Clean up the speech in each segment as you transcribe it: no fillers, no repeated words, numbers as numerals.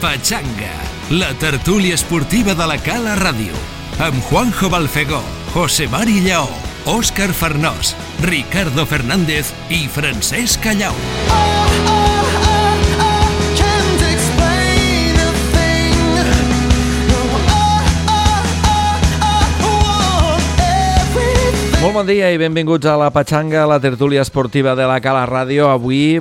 Pachanga, la tertúlia esportiva de la Cala Ràdio, amb Juanjo Balfegó, José Mari Lleó, Òscar Farnós, Ricardo Fernández i Francesc Callau. Molt bon dia i benvinguts a la Pachanga, la tertúlia esportiva de la Cala Ràdio. Avui,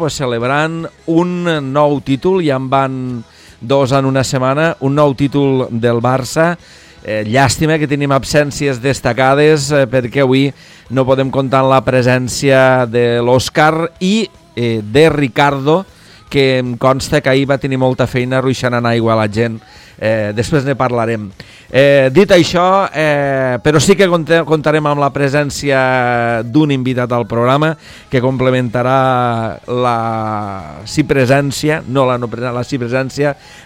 celebrant un nou títol, ja en van dos en una setmana, un nou títol del Barça. Llàstima que tenim absències destacades perquè avui no podem comptar amb la presència de l'Òscar i de Ricardo, que em consta que ahir va tenir molta feina ruixant aigua a la gent. Després ne parlarem. Dit això, però sí que comptarem amb la presència d'un invitat al programa que complementarà la sí presència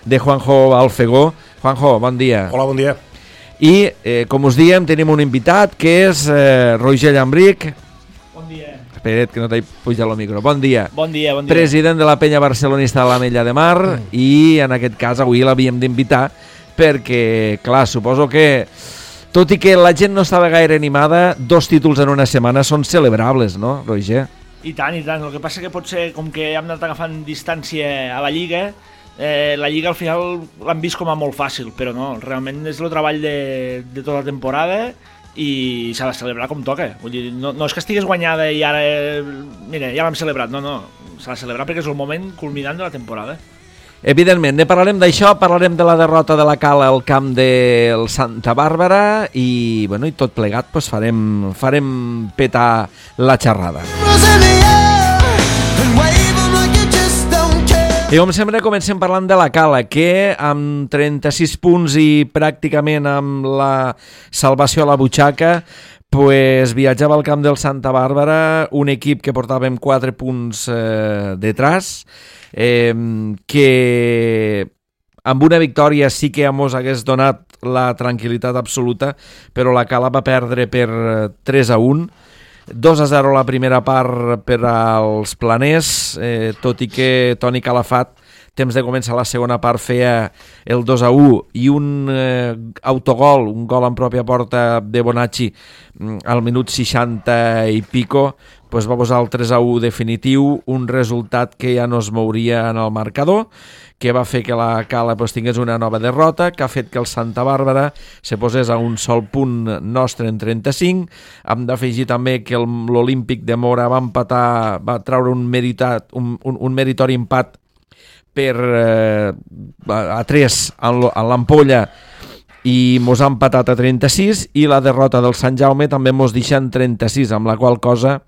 de Juanjo Balfegó. Juanjo, bon dia. Hola, bon dia. I, com us diem, tenim un invitat que és Roger Llambric. Bon dia. Espera't, que no t'he pujat el micro. Bon dia. Bon dia, bon dia. President de la penya barcelonista de l'Ametlla de Mar i en aquest cas avui l'havíem d'invitar perquè, clar, suposo que tot i que la gent no estava gaire animada, dos títols en una setmana són celebrables, no, Roger? I tant, i tant. El que passa que potser, com que hem anat agafant distància a la Lliga, la Lliga al final l'han vist com a molt fàcil, però no, realment és el treball de tota la temporada i s'ha de celebrar com toca. Vull dir, no és que estigués guanyada i ara, mira, ja l'hem celebrat, no, s'ha de celebrar perquè és el moment culminant de la temporada. Evidentment, ne parlarem d'això, parlarem de la derrota de la Cala al camp del Santa Bàrbara i, i tot plegat farem petar la xerrada. I com sempre comencem parlant de la Cala, que amb 36 punts i pràcticament amb la salvació a la butxaca viatjava al camp del Santa Bàrbara, un equip que portàvem 4 punts detrás, que amb una victòria sí que mos hagués donat la tranquil·litat absoluta, però la Cala va perdre per 3-1, 2-0 la primera part per als planers, tot i que Toni Calafat, temps de començar la segona part, feia el 2-1 i un autogol, un gol en pròpia porta de Bonacci al minut 60 i pico, va posar el 3-1 definitiu, un resultat que ja no es mouria en el marcador, que va fer que la Cala tingués una nova derrota, que ha fet que el Santa Bàrbara se posés a un sol punt nostre en 35. Hem d'afegir també que l'Olímpic de Mora va empatar, va treure un meritori empat a 3 a l'Ampolla i mos ha empatat a 36, i la derrota del Sant Jaume també mos deixa en 36, amb la qual cosa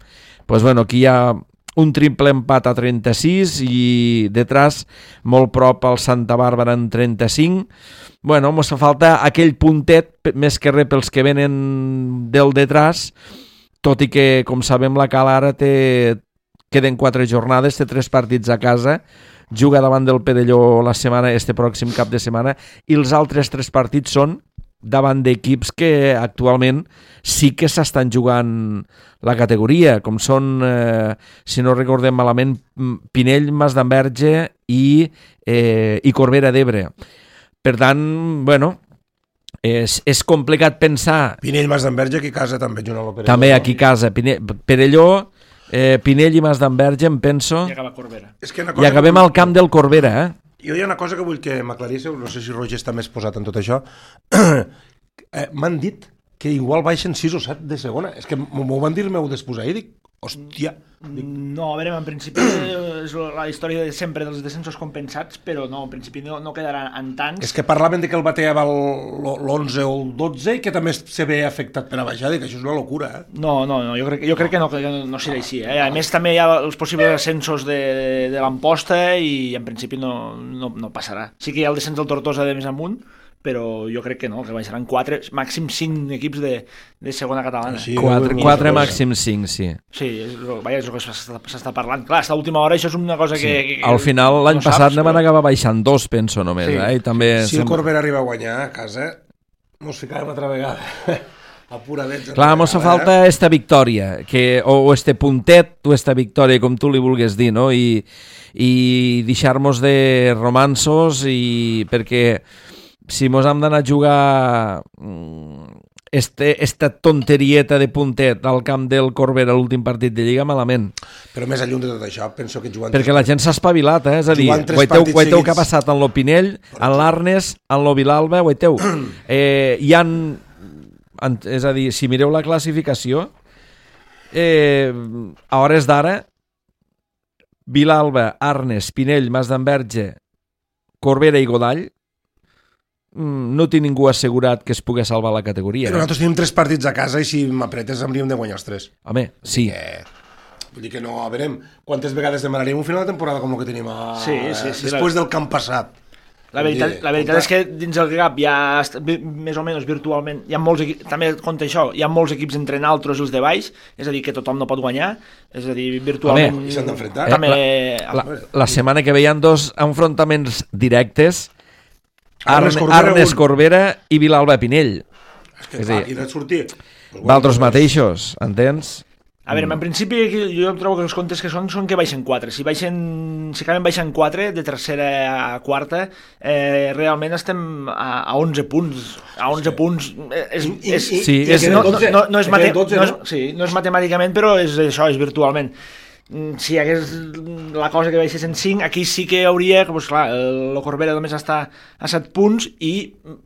aquí hi ha un triple empat a 36 i detrás molt prop al Santa Bàrbara en 35. Mos fa falta aquell puntet, més que res pels que venen del detrás, tot i que, com sabem, la Cala ara queden 4 jornades, té 3 partits a casa, juga davant del Perelló este pròxim cap de setmana, i els altres 3 partits són davant d'equips que actualment sí que s'estan jugant la categoria, com són, si no recordem malament, Pinell, Masdenverge i Corbera d'Ebre. Per tant, és complicat pensar... Pinell, Masdenverge, aquí a casa també juga el Perelló. També aquí a casa. Perelló, Pinell i Masdenverge, em penso... I acaba Corbera. I acabem al camp del Corbera, Jo hi ha una cosa que vull que m'aclaríssiu, no sé si Roger està més posat en tot això. M'han dit que igual baixen 6 o 7 de segona. És que m'ho van dir el meu despús ahir, dic, hòstia. No, a veure, en principi és la història de sempre dels descensos compensats, però no, en principi no quedarà en tants. És que parlaven de que el bateava l'11 o el 12 i que també se ve afectat per a baixar, dic, això és una locura, No, jo crec que no serà així, A més, també hi ha els possibles ascensos de l'Amposta i en principi no passarà. Sí que hi ha el descens del Tortosa de més amunt, però jo crec que no, que baixaran 4, màxim 5 equips de segona catalana. Sí, 4 màxim 5, sí. Sí, és el que s'està parlant. Clar, a l'última hora això és una cosa que al final, l'any passat ne van acabar baixant 2, penso, només. I també si el Corbera arriba a guanyar a casa, mos ficàvem altra vegada. apuradets. Clar, mos fa falta esta victòria, o este puntet, o esta victòria, com tu li vulguis dir, no? I deixar-nos de romansos, perquè si mos hem d'anar a jugar esta tonterieta de puntet al camp del Corbera a l'últim partit de Lliga, malament. Però més lluny de tot això, penso que jugant... Perquè la gent s'ha espavilat, És a dir, guaiteu que ha passat en lo Pinell, en l'Arnes, en lo Vilalba, guaiteu. Hi ha... És a dir, si mireu la classificació, a hores d'ara, Vilalba, Arnes, Pinell, Mas d'Enverge, Corbera i Godall, no té ningú assegurat que es pugui salvar la categoria. Però nosaltres tenim 3 partits a casa i si m'apretes hauríem de guanyar els 3. Home, sí. Vull dir que no, a veure, quantes vegades demanaríem un final de temporada com el que tenim després del camp passat. La veritat és que dins el GAP hi ha, més o menys virtualment, hi ha molts equips, també compta això, hi ha molts equips entre naltros i els de baix, és a dir, que tothom no pot guanyar, és a dir, virtualment... I s'han d'enfrontar. La setmana que ve hi ha 2 enfrontaments directes, Arnes Corbera i Vilalba Pinell. És que clar, aquí no et sortir. D'altres mateixos, entens? A veure, en principi jo trobo que els comptes que són que baixen 4. Si acaben baixant 4 de tercera a quarta, realment estem a 11 punts. A 11 punts no és matemàticament, però és això, és virtualment. Si hi hagués la cosa que baixés en 5, aquí sí que hauria, doncs clar, el Corbera només està a 7 punts,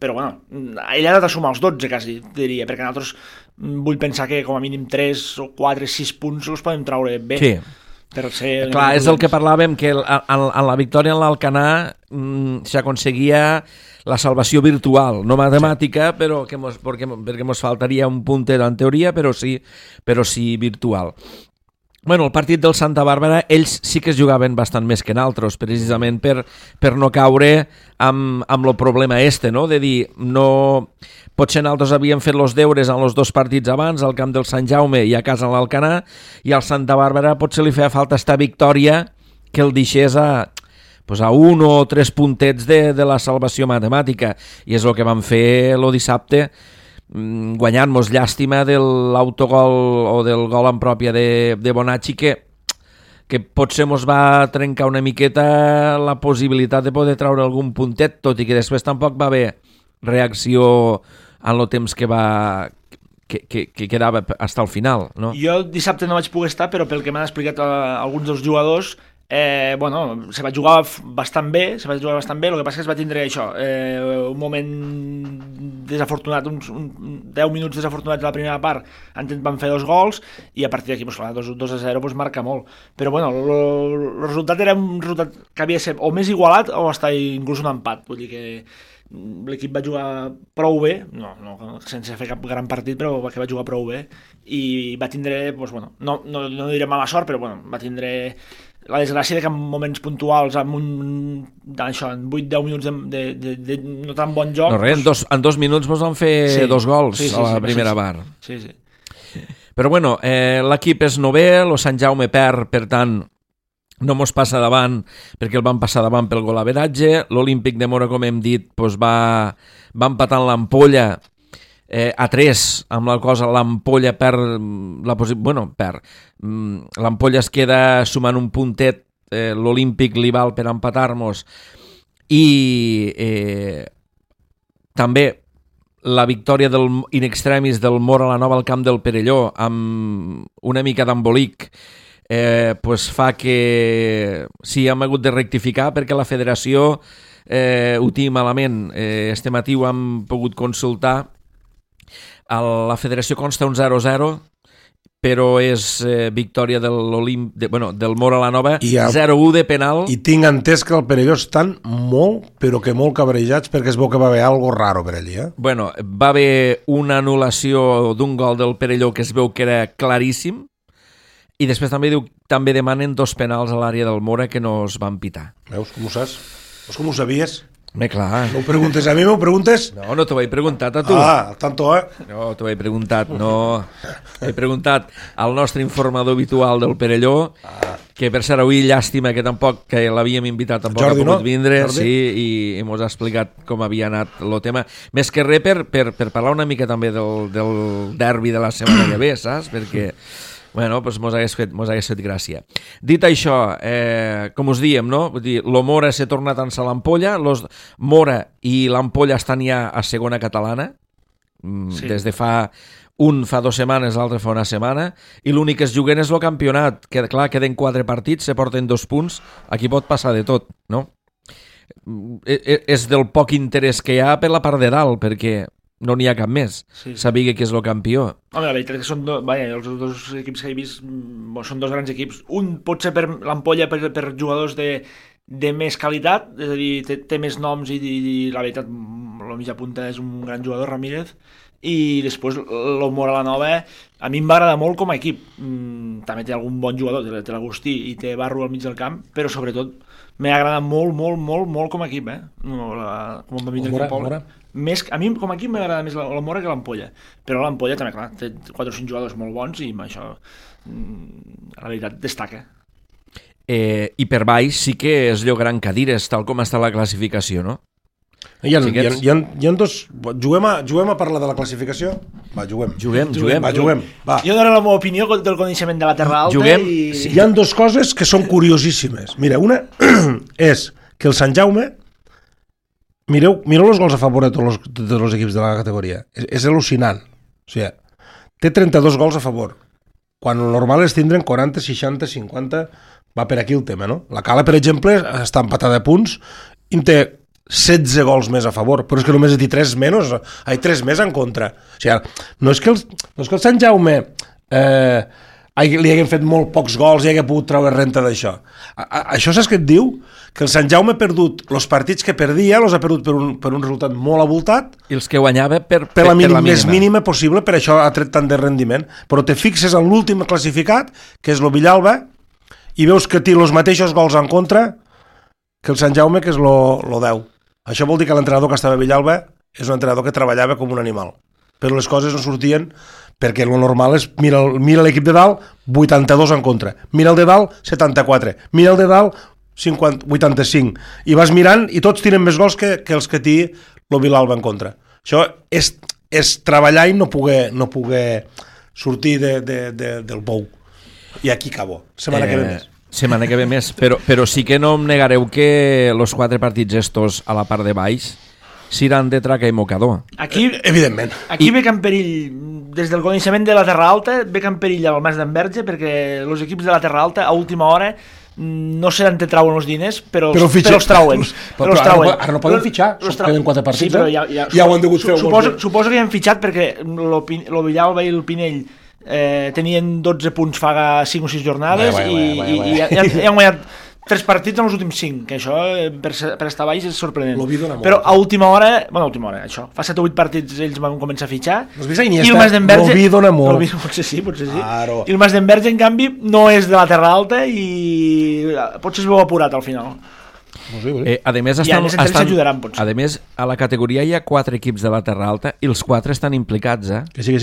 però bueno, ell ha de sumar els 12 quasi, diria, perquè nosaltres vull pensar que com a mínim 3 o 4, 6 punts els podem treure bé. Sí. Per ser clar, és el que parlàvem, que en la victòria en l'Alcanar s'aconseguia la salvació virtual, no matemàtica, però perquè mos faltaria un puntet en teoria, però sí virtual. Bueno, el partit del Santa Bàrbara, ells sí que es jugaven bastant més que naltros, precisament per no caure amb el problema no? De dir, no... Potser naltros havíem fet els deures en els 2 partits abans, al camp del Sant Jaume i a casa en l'Alcanar, i al Santa Bàrbara potser li feia falta esta victòria que el deixés a 1 o 3 puntets de la salvació matemàtica, i és el que vam fer el dissabte, guanyant-nos, llàstima de l'autogol o del gol en pròpia de Bonacci, que potser mos va trencar una miqueta la possibilitat de poder treure algun puntet, tot i que després tampoc va haver reacció en el temps que quedava fins al final, no? Jo dissabte no vaig poder estar, però pel que m'han explicat alguns dels jugadors, se va jugar bastant bé, el que passa que es va tindre això, un moment desafortunat, uns 10 minuts desafortunats a la primera part, van fer 2 gols, i a partir d'aquí, 2-0, marca molt. Però bueno, el resultat era un resultat que havia de ser o més igualat o hasta inclús un empat, vull dir que l'equip va jugar prou bé, no sense fer cap gran partit, però que va jugar prou bé, i va tindre, no diré mala sort, però va tindre la desgràcia que en moments puntuals, en 8-10 minuts de no tan bon joc... No res, en 2 minuts vos van fer 2 gols a la primera part. Sí. Però bueno, l'equip és novè, el Sant Jaume perd, per tant, no mos passa davant, perquè el van passar davant pel golaveratge. L'Olímpic de Mora, com hem dit, va empatant l'Ampolla a 3, amb la cosa l'Ampolla l'Ampolla es queda sumant un puntet, l'Olímpic li val per empatar-nos, i també la victòria in extremis del Mora a la Nova al camp del Perelló, amb una mica d'embolic, fa que sí, hem hagut de rectificar, perquè la federació ho té malament. Este matí ho hem pogut consultar. La federació consta un 0-0, però és victòria del Mora a la Nova, 0-1 de penal. I tinc entès que el Perelló estan molt, però que molt cabrejats, perquè es veu que va haver algo raro per allí. Bueno, va haver una anul·lació d'un gol del Perelló que es veu que era claríssim, i després també demanen 2 penals a l'àrea del Mora que no es van pitar. Veus com ho saps? Veus com ho sabies? Clar. No ho preguntes a mi, m'ho preguntes? No t'ho he preguntat a tu. Tanto, No, t'ho he preguntat, no. He preguntat al nostre informador habitual del Perelló que per cert avui llàstima que tampoc, que l'havíem invitat, tampoc Jordi, ha pogut no? vindre, Jordi? sí, i mos ha explicat com havia anat el tema. Més que res per parlar una mica també del derbi de la setmana que ve, saps? Perquè bueno, doncs mos hagués fet gràcia. Dit això, com us diem, no? Vull dir, lo Mora s'ha tornat a ençar l'Ampolla, Mora i l'Ampolla estan ja a segona catalana, Sí. des de fa 2 setmanes, l'altre fa una setmana, i l'únic que es juguen és el campionat, que clar, queden 4 partits, se porten 2 punts, aquí pot passar de tot, no? És del poc interès que hi ha per la part de dalt, perquè no n'hi ha cap més. Sí. Sabia que és el campió. Home, la veritat és que són els dos equips que he vist són dos grans equips. Un pot ser per l'Ampolla per jugadors de més qualitat, és a dir, té més noms i la veritat, la mitja punta és un gran jugador, Ramírez, i després el Mora la Nova a mi em va agradar molt com a equip. També té algun bon jugador, té l'Agustí i té Barro al mig del camp, però sobretot m'ha agradat molt com a equip, no, com va vindre aquí al poble. Més, a mi com a equip m'agrada més el Mora que l'Ampolla, però l'Ampolla també, clar, té 4 o 5 jugadors molt bons i amb això la veritat destaca. I per baix sí que es llogaran cadires, tal com està la classificació, no? Hi ha dos... Juguem a parlar de la classificació? Va, juguem. Va. Jo dono la meva opinió del coneixement de la Terra Alta. Juguem. I... Hi ha dues coses que són curiosíssimes. Mira, una és que el Sant Jaume... Mireu els gols a favor de tots els equips de la categoria. És al·lucinant. O sigui, té 32 gols a favor. Quan el normal és tindre'n 40, 60, 50... Va per aquí el tema, no? La Cala, per exemple, està empatada a punts i té 16 gols més a favor, però és que només he dit 3 més en contra. O sigui, no és que el Sant Jaume li haguem fet molt pocs gols i hagi pogut treure renta d'això. Això saps què et diu? Que el Sant Jaume ha perdut els partits que perdia, els ha perdut per un resultat molt abultat, I els que guanyava per la més mínima possible, per això ha tret tant de rendiment. Però te fixes en l'últim classificat, que és el Villalba, i veus que té els mateixos gols en contra que el Sant Jaume, que és lo 10. Això vol dir que l'entrenador que estava a Villalba és un entrenador que treballava com un animal. Però les coses no sortien perquè el normal és, mira l'equip de dalt, 82 en contra. Mira el de dalt, 74. Mira el de dalt, 85. I vas mirant i tots tiren més gols que els que té el Villalba en contra. Això és treballar i no poder sortir del pou. I aquí acabo. Setmana que ve més. Setmana que ve més, però sí que no em negareu que els 4 partits estos a la part de baix seran de traca i mocador. Aquí, evidentment. Aquí ve en perill, des del coneixement de la Terra Alta, ve en perill el Mas d'Enverge, perquè els equips de la Terra Alta a última hora no sé d'on te trauen els diners, però els trauen. Ara no poden fitxar, queden 4 partits. Sí, però ja ho han degut fer. Suposo que ja han fitxat perquè el Villalba i el Pinell tenien 12 punts fa 5 o 6 jornades i han guanyat 3 partits en els últims 5, que això per estar baix és sorprenent. Però a última hora, això, fa 7 o 8 partits ells van començar a fitxar i el Mas d'Enverge potser sí. I el Mas d'Enverge en canvi no és de la Terra Alta i potser es veu apurat al final. A més, a la categoria hi ha 4 equips de la Terra Alta i els 4 estan implicats, Que sí.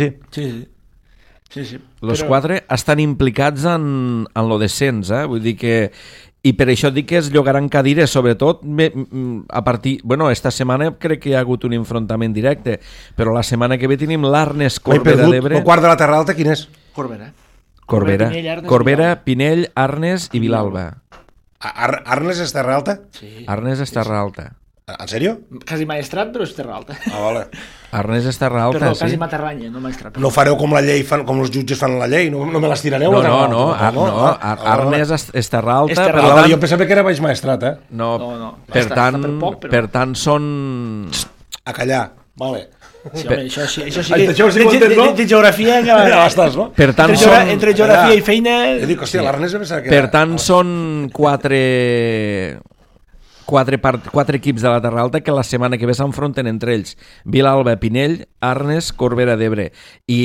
Sí. Els 4 estan implicats en lo descens, vull dir que... I per això dic que es llogaran cadires, sobretot a partir... Bueno, esta setmana crec que hi ha hagut un enfrontament directe, però la setmana que ve tenim l'Arnes Corbera d'Ebre... El quart de la Terra Alta, quin és? Corbera, Pinell, Arnes i Vilalba. Arnes és Terra Alta? Sí. Arnes és Terra Alta. En sèrio? Quasi maestrat, però és Terra Alta. Vale. Arnes és Terra Alta, perdó, sí. quasi materranya, no maestrat. No fareu com la llei, com els jutges fan la llei, no me les tirareu? No, Arnes és Terra Alta. Jo pensava que era baix maestrat, No, per tant són... A callar, vale. Sí, home, això sí de geografia ja estàs, no? Per tant entre geografia i feina... Jo dic, hòstia, l'Arnes pensava que era... Per tant són 4 equips de la Terra Alta que la setmana que ve s'enfronten entre ells. Vilalba, Pinell, Arnes, Corbera d'Ebre. I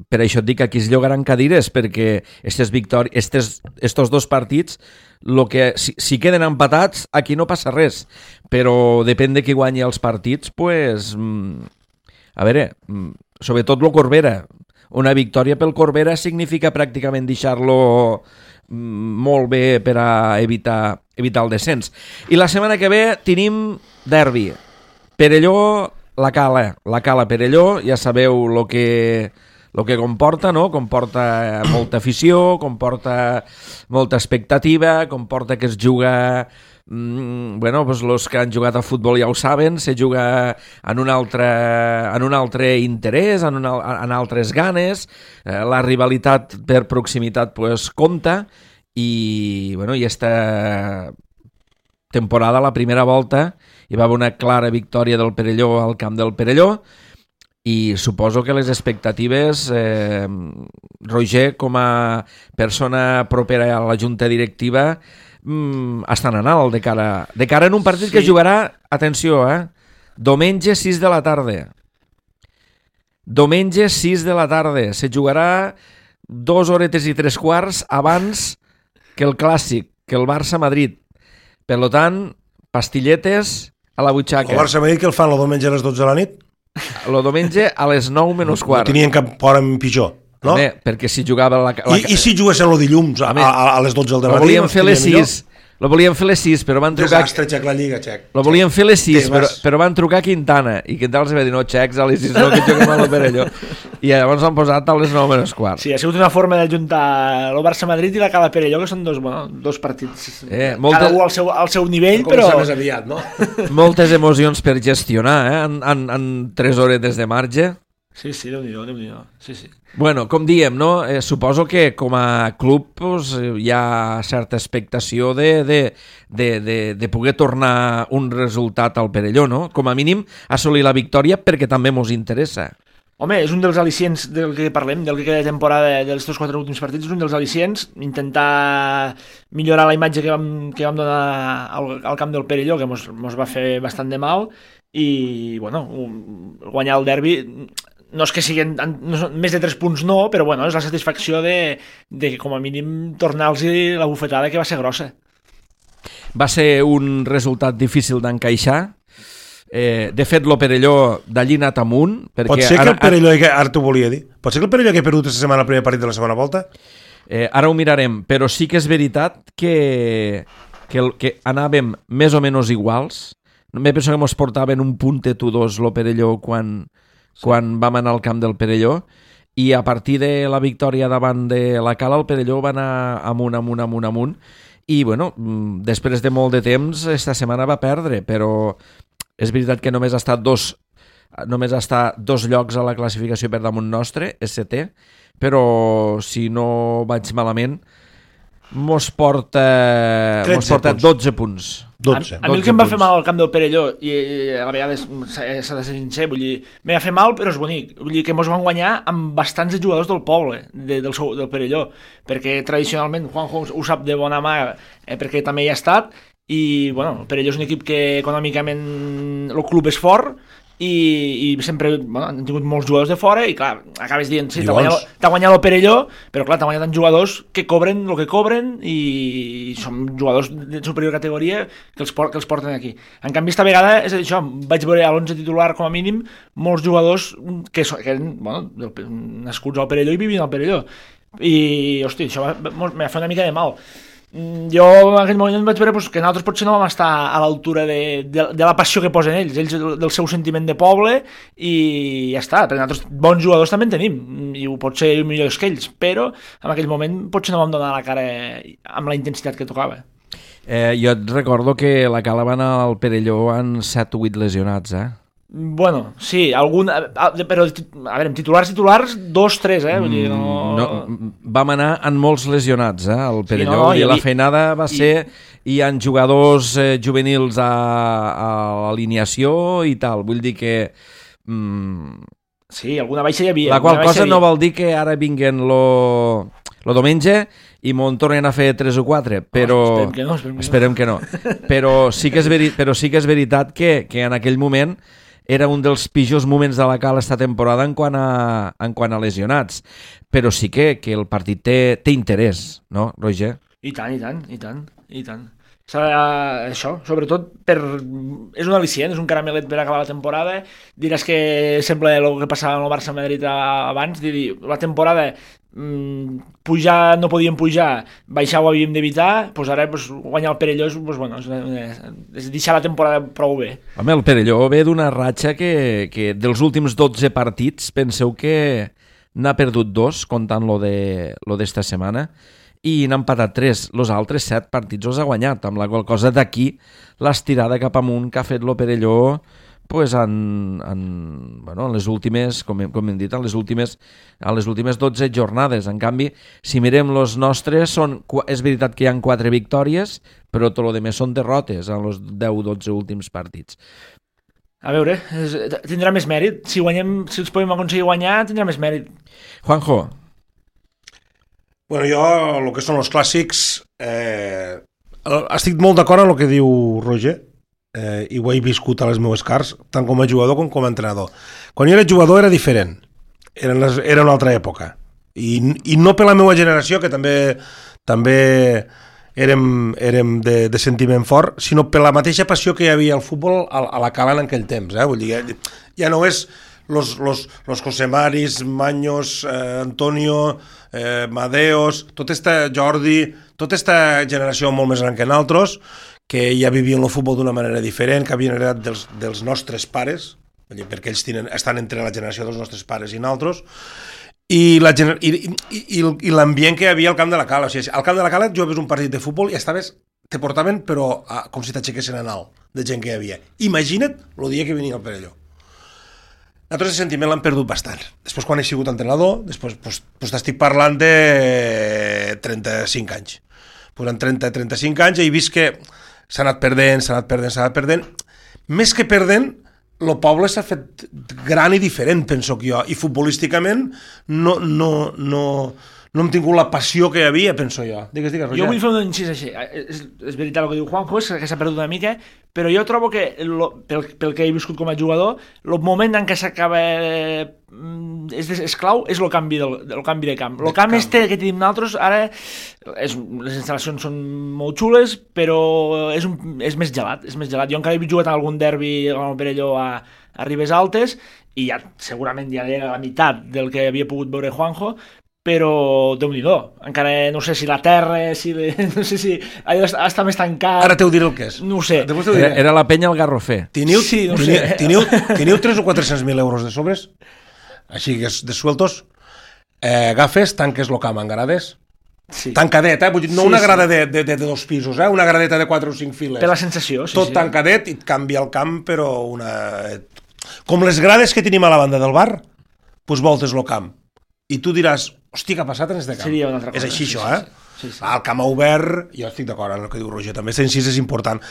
per això et dic que aquí es llogaran cadires, perquè estos 2 partits, si queden empatats, aquí no passa res. Però depèn de qui guanyi els partits, pues... A veure, sobretot el Corbera. Una victòria pel Corbera significa pràcticament deixar-lo molt bé per a evitar el descens. I la setmana que ve tenim derbi. Perelló, la Cala Perelló, ja sabeu el que comporta, no? Comporta molta afició, comporta molta expectativa, comporta que es juga... els que han jugat a futbol ja ho saben, se juga en un altre interès, en altres ganes, la rivalitat per proximitat compta i esta temporada, la primera volta, hi va haver una clara victòria del Perelló al camp del Perelló i suposo que les expectatives, Roger, com a persona propera a la junta directiva, estan en alt de cara en un partit que jugarà, atenció, diumenge 6 de la tarda. Diumenge 6 de la tarda. Se jugarà 2 horetes i 3 quarts abans que el clàssic, que el Barça-Madrid. Per tant, pastilletes a la butxaca. El Barça-Madrid que el fan el diumenge a les 12 de la nit? El diumenge a les 9 menys quart. No tenien cap hora pitjor. No? Home, perquè si jugava... I si juguessin el dilluns a les 12 del matí? Lo volien fer les 6. Lo volien fer les 6, però van trucar... Desastre, Xec, la Lliga, Xec. Lo volien fer les 6, però van trucar a Quintana. I Quintana els va dir, no, Xecs, a les 6 no, que juguem a la Perelló. I llavors han posat a les 9 menys quart. Sí, ha sigut una forma d'ajuntar el Barça-Madrid i la Cala Perelló, que són dos partits. Cada un al seu nivell, però... Més aviat, no? Moltes emocions per gestionar, en 3 hores de marge. Sí, Déu-n'hi-do. Sí. Bueno, com diem, no? Suposo que com a club hi ha certa expectació de poder tornar un resultat al Perelló, no? Com a mínim assolir la victòria perquè també mos interessa. Home, és un dels al·licients del que parlem, del que queda de temporada dels 4 últims partits, és un dels al·licients, intentar millorar la imatge que vam donar al camp del Perelló, que mos va fer bastant de mal, i, bueno, guanyar el derbi... No és que siguin més de 3 punts, no, però bueno, és la satisfacció de com a mínim tornar-los la bufetada, que va ser grossa. Va ser un resultat difícil d'encaixar. De fet, el Perelló d'allí anat amunt. Pot ser que el Perelló, ara t'ho volia dir, pot ser que el Perelló que ha perdut aquesta setmana el primer partit de la segona volta? Ara ho mirarem, però sí que és veritat que anàvem més o menys iguals. Me penso que ens portaven un puntet o dos el Perelló quan vam anar al camp del Perelló, i a partir de la victòria davant de la Cala el Perelló va anar amunt, i bueno, després de molt de temps esta setmana va perdre, però és veritat que només està dos llocs a la classificació per damunt nostre, és setè, però si no vaig malament mos porta 12 punts. 12. A mi el que em va fer mal al camp del Perelló, i a vegades s'ha de ser sincer, vull dir, m'ha fet mal però és bonic, vull dir que mos van guanyar amb bastants jugadors del poble, del Perelló, perquè tradicionalment Juanjo ho sap de bona mà, perquè també hi ha estat, i bueno, el Perelló és un equip que econòmicament el club és fort, i sempre han tingut molts jugadors de fora i clar, acabes dient, sí, t'ha guanyat el Perelló, però clar, t'ha guanyat tant jugadors que cobren el que cobren i són jugadors de superior categoria que els porten aquí. En canvi, esta vegada és això, vaig veure a l'11 titular com a mínim molts jugadors que eren nascuts al Perelló i vivien al Perelló, i hosti, això m'ha fet una mica de mal. Jo en aquell moment vaig veure que nosaltres potser no vam estar a l'altura de la passió que posen ells del seu sentiment de poble, i ja està, perquè nosaltres bons jugadors també en tenim i pot ser millors que ells, però en aquell moment potser no vam donar la cara amb la intensitat que tocava. Jo et recordo que la Cala va anar al Perelló amb 7 o 8 lesionats, Bueno, sí, però a veure, titulars 2, 3, vull dir, no, vam anar amb molts lesionats, al Perelló, i la feinada va ser, hi ha jugadors juvenils a l'alineació i tal, vull dir que... Sí, alguna baixa hi havia. La qual cosa no vol dir que ara vinguen lo diumenge i m'ho tornen a fer 3 o 4, però... Esperem que no. Però sí que és veritat que en aquell moment era un dels pitjors moments de la Cala esta temporada en quant a lesionats, però sí que el partit té interès, no, Roger? I tant. Això, sobretot és un al·licient, és un caramelet per acabar la temporada. Diràs que sembla el que passava amb el Barça-Madrid abans, dir, la temporada pujar no podíem pujar, baixar ho havíem d'evitar, doncs ara guanyar el Perelló és deixar la temporada prou bé. Home, el Perelló ve d'una ratxa que dels últims 12 partits penseu que n'ha perdut 2, comptant lo d'esta setmana, i n'ha empatat 3. Els altres 7 partits els ha guanyat, amb la qual cosa d'aquí l'estirada cap amunt que ha fet el Perelló pues en les últimes, com hem dit, en les últimes 12 jornades. En canvi, si mirem els nostres, és veritat que hi ha 4 victòries, però tot el més són derrotes en els 10-12 últims partits. A veure, tindrà més mèrit. Si els podem aconseguir guanyar, tindrà més mèrit. Juanjo. Bueno, jo, el que són els clàssics, estic molt d'acord amb el que diu Roger, i ho he viscut a les meves cars, tant com a jugador com a entrenador. Quan jo era jugador era diferent, era una altra època, i no per la meva generació, que també érem de sentiment fort, sinó per la mateixa passió que hi havia al futbol a la Cala en aquell temps. Vull dir, ja no és los José Maris, Maños, Antonio, Madeos, Jordi, tota esta generació molt més gran que nosaltres, que ja vivien el futbol d'una manera diferent, que havien heredat dels nostres pares, perquè ells estan entre la generació dels nostres pares i nosaltres, i l'ambient que hi havia al camp de la Cala. O sigui, al camp de la Cala jugaves un partit de futbol i te portaven, però com si t'aixequessin en alt, de gent que hi havia. Imagina't el dia que venia el Perelló. Nosaltres el sentiment l'han perdut bastant. Després, quan he sigut entrenador, després t'estic parlant de 35 anys. En 30-35 anys he vist que s'ha anat perdent. Més que perdent, el poble s'ha fet gran i diferent, penso que jo. I futbolísticament no hem tingut la passió que hi havia, penso jo. Digues, Roger. Jo vull fer un incís així. És veritat el que diu Juanjo, és que s'ha perdut una mica, però jo trobo que, pel que he viscut com a jugador, el moment en què s'acaba és clau, és el canvi de camp. El camp que tenim nosaltres, ara les instal·lacions són molt xules, però és més gelat. Jo encara he jugat en algun derbi amb el Perelló a Ribes Altes, i segurament ja era la meitat del que havia pogut veure Juanjo, però Déu-n'hi-do, encara no sé si la terra, no sé si allò està més tancat. Ara t'ho diré el que és. No ho sé. Era la penya al Garrofer. Teniu 300 o 400.000 euros de sobres? Així que de sueltos, agafes, tanques el camp en grades, tancadet, vull dir, no una grada de 2 pisos, una gradeta de 4 o 5 files. Per la sensació, sí. Tot tancadet i et canvia el camp, però com les grades que tenim a la banda del bar, doncs voltes el camp. I tu diràs, hòstia, què ha passat en este camp? Seria una altra cosa. És així, això, Sí. El camp obert, jo estic d'acord amb el que diu Roger, també aquest incís és important.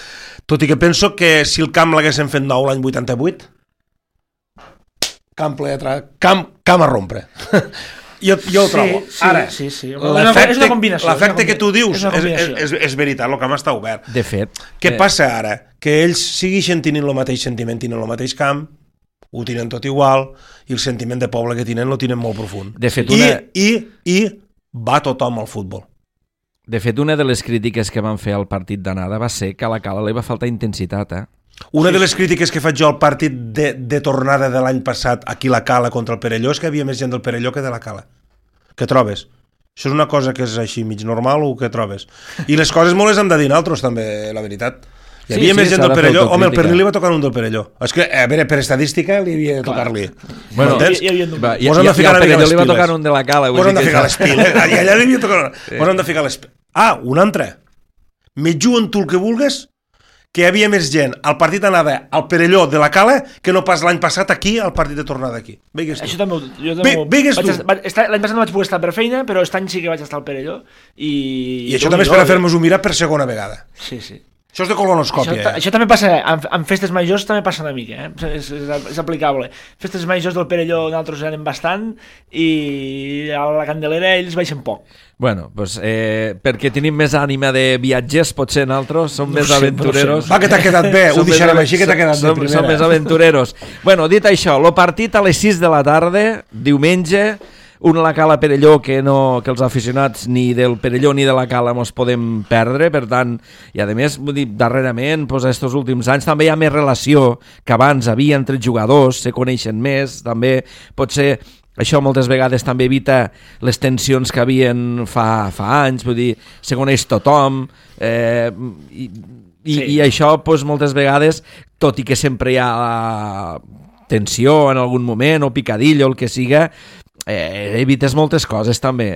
Tot i que penso que si el camp l'haguessin fet nou l'any 88, camp a rompre. Jo ho trobo. Ara, sí. És una combinació. L'efecte que tu dius és veritat, el camp està obert. De fet. Què passa ara? Que ells segueixen tenint el mateix sentiment, tenen el mateix camp, ho tenen tot igual, i el sentiment de poble que tenen lo tenen molt profund. De fet, I va tothom al futbol. De fet, una de les crítiques que van fer al partit d'anada va ser que a la Cala li va faltar intensitat, Una de les crítiques que faig jo al partit de tornada de l'any passat aquí a la Cala contra el Perelló és que hi havia més gent del Perelló que de la Cala. Què trobes? Això és una cosa que és així mig normal o què trobes? I les coses molt les hem de dir nosaltres també, la veritat. Hi havia més gent del Perelló. Home, el Pernil li va tocar un del Perelló. És que, a veure, per estadística li havia de tocar-li. M'entens? I al Perelló li va tocar un de la Cala. Vos hem de ficar les piles. I allà li havia tocat... Vos hem de ficar les piles. Un altre. Me juguen tu el que vulgues, que hi havia més gent al partit d'anada al Perelló de la Cala que no pas l'any passat aquí al partit de tornada aquí. Veigues tu. Això també l'any passat no vaig poder estar per feina, però aquest any sí que vaig estar al Perelló. I això també és per fer-nos-ho mirar per segona vegada. Sí. Això és de colonoscòpia. Això també passa, en festes majors també passa una mica, és aplicable. Festes majors del Perelló nosaltres anem bastant i a la Candelera ells baixen poc. Bueno, doncs perquè tenim més ànima de viatgers, potser nosaltres som més aventureros. Va, que t'ha quedat bé, ho deixarem així, que t'ha quedat bé primera. Som més aventureros. Bueno, dit això, el partit a les 6 de la tarda, diumenge, un la Cala Perelló que els aficionats ni del Perelló ni de la Cala mos podem perdre, per tant, i a més, vull dir, darrerament, doncs, estos últims anys també hi ha més relació que abans havia entre jugadors, se coneixen més, també pot ser. Això moltes vegades també evita les tensions que havien fa anys, vull dir, se coneix tothom, i això doncs, moltes vegades, tot i que sempre hi ha tensió en algun moment o picadillo, el que siga, evites moltes coses també.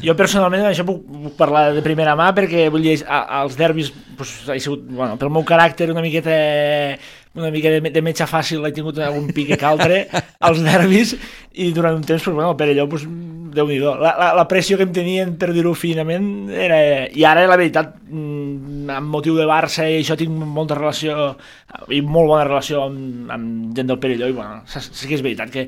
Jo personalment això puc parlar de primera mà perquè vull dir, als derbis doncs, ha sigut, bueno, pel meu caràcter una mica de metge fàcil, he tingut algun pique que altre als derbis i durant un temps, doncs, bueno, el Perelló, doncs, Déu-n'hi-do. La pressió que em tenien, per dir-ho finament, era... I ara, la veritat, amb motiu de Barça i això tinc molta relació i molt bona relació amb gent del Perelló i, bueno, sí que és veritat que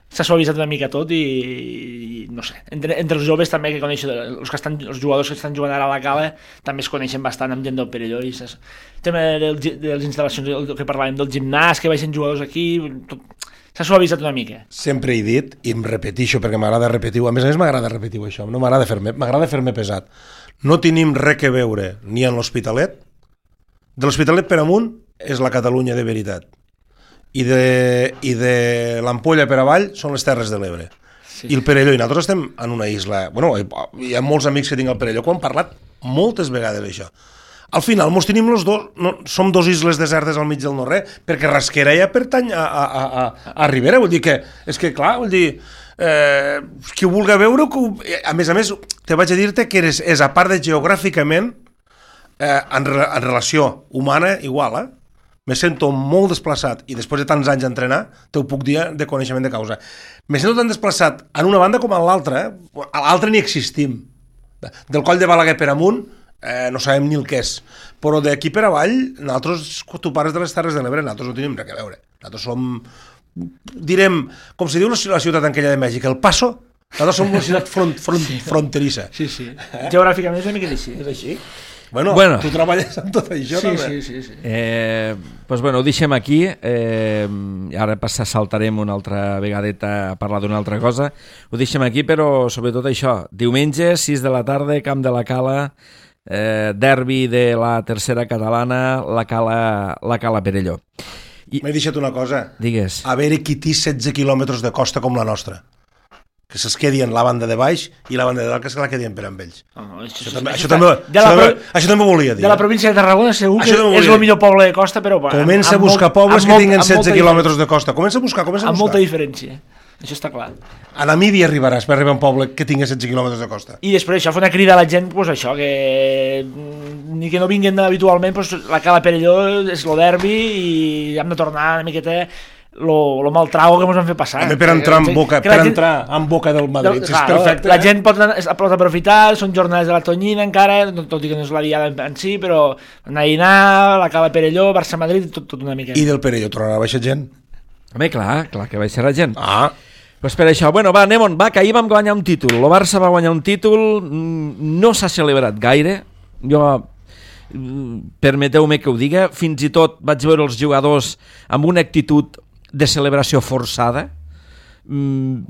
s'ha suavitzat una mica tot i no sé, entre els joves també que coneixen, els jugadors que estan jugant ara a la Cala també es coneixen bastant amb gent del Perelló i el tema de les instal·lacions, el que parlàvem del gimnàs, que baixen jugadors aquí, tot, s'ha suavitzat una mica. Sempre he dit, i em repetixo perquè m'agrada repetir-ho, a més m'agrada repetir això, no m'agrada fer-me pesat. No tenim res que veure ni en l'Hospitalet, de l'Hospitalet per amunt és la Catalunya de veritat. I de l'Ampolla per avall són les Terres de l'Ebre. Sí. I el Perelló, i nosaltres estem en una isla... Bueno, hi ha molts amics que tinc al Perelló que ho han parlat moltes vegades, això. Al final, mos tenim els dos... som dos isles desertes al mig del no-res, perquè Rasquera ja pertany a Ribera. Vull dir que... És que, clar, vull dir... qui ho vulgui veure... A més, te vaig a dir-te que és a part de geogràficament, en relació humana, igual, me sento molt desplaçat i després de tants anys d'entrenar, t'ho puc dir de coneixement de causa. Me sento tan desplaçat en una banda com en l'altra, a l'altra ni existim. Del Coll de Balaguer per amunt no sabem ni el que és, però d'aquí per avall, nosaltres, tu pares de les Terres de l'Ebre, nosaltres no tenim res a veure. Nosaltres som, direm, com se diu la ciutat aquella de Mèxic, El Paso, nosaltres som una ciutat fronterissa. Sí. Geogràficament és una mica així. És així? Bueno, tu treballes amb tot això, també. Sí. Doncs bueno, ho deixem aquí. Ara saltarem una altra vegadeta a parlar d'una altra cosa. Ho deixem aquí, però sobretot això. Diumenge, 6 de la tarda, Camp de la Cala, derbi de la tercera catalana, la Cala Perelló. M'he deixat una cosa. Digues. A veure qui té 16 quilòmetres de costa com la nostra. Que se'ls quedi en la banda de baix i la banda de dalt que se la quedien per amb ells. Això també volia dir. De la província de Tarragona segur que és el millor poble de costa, però... Comença a buscar pobles que tinguen 16 quilòmetres de costa. Comença a buscar. Amb molta diferència. Això està clar. A Namíbia arribaràs per arribar a un poble que tingui 16 quilòmetres de costa. I després això fa una crida a la gent, doncs això, que ni que no vinguin habitualment, doncs la Cala Perelló és el derbi i hem de tornar una miqueta... lo mal trago que ens han fet passar. També per entrar en boca del Madrid, és perfecte. La gent pot aprofitar, són jornades de la Tonyina encara, tot i que no és la diada en si, però anar a dinar, la Cala Perelló, Barça-Madrid, tot una mica. I del Perelló tornarà a baixar gent? Home, clar que baixarà gent. Pues per això, bueno, va, anem-on, que ahir vam guanyar un títol, el Barça va guanyar un títol, no s'ha celebrat gaire, jo... permeteu-me que ho diga, fins i tot vaig veure els jugadors amb una actitud de celebració forçada, no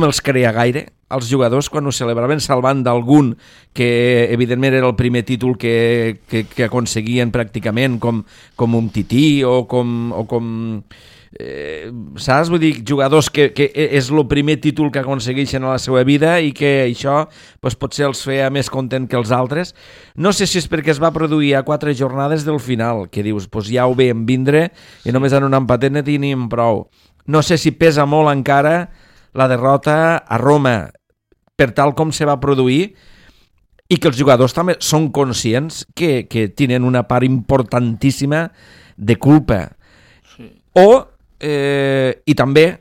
me'ls creia gaire els jugadors quan ho celebraven, salvant d'algun que evidentment era el primer títol que aconseguien pràcticament com un tití o com saps? Vull dir, jugadors que és el primer títol que aconsegueixen a la seva vida i que això doncs, potser els feia més content que els altres. No sé si és perquè es va produir a 4 jornades del final, que dius, doncs ja ho veiem vindre i només en un empatet ne tenim prou. No sé si pesa molt encara la derrota a Roma per tal com se va produir i que els jugadors també són conscients que tenen una part importantíssima de culpa. I també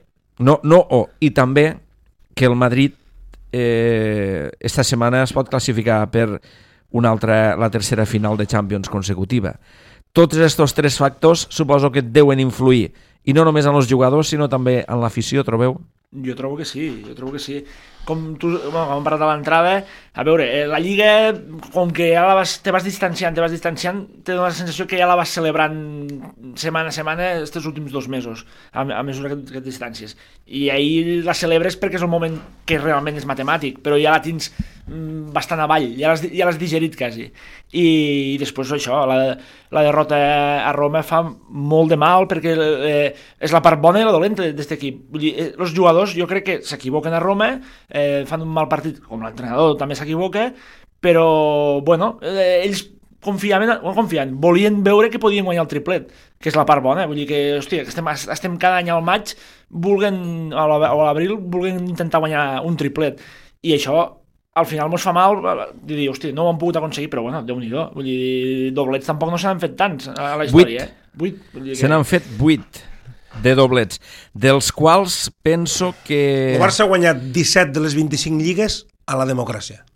que el Madrid esta setmana es pot classificar per la tercera final de Champions consecutiva. Tots aquests 3 factors suposo que deuen influir, i no només en els jugadors, sinó també en l'afició, trobeu? Jo trobo que sí. Com tu, bueno, com hem parlat a l'entrada, a veure, la Lliga, com que ja te vas distanciant, te dona la sensació que ja la vas celebrant setmana a setmana aquests últims 2 mesos, a mesura que et distàncies. I ahir la celebres perquè és el moment que realment és matemàtic, però ja la tens bastant avall, ja l'has digerit quasi. I després això, la derrota a Roma fa molt de mal perquè és la part bona i la dolenta d'aquest equip. Vull dir, els jugadors jo crec que s'equivoquen a Roma, fan un mal partit, com l'entrenador també s'equivoca, però bueno, ells confiant, volien veure que podien guanyar el triplet, que és la part bona. Vull dir que, hòstia, estem cada any al maig o a l'abril volent intentar guanyar un triplet, i això al final mos fa mal de dir, hòstia, no ho han pogut aconseguir, però bueno, Déu-n'hi-do, vull dir, doblets tampoc no se n'han fet tants a la història. 8. Se n'han fet 8 de doblets, dels quals penso que... El Barça ha guanyat 17 de les 25 lligues a la democràcia.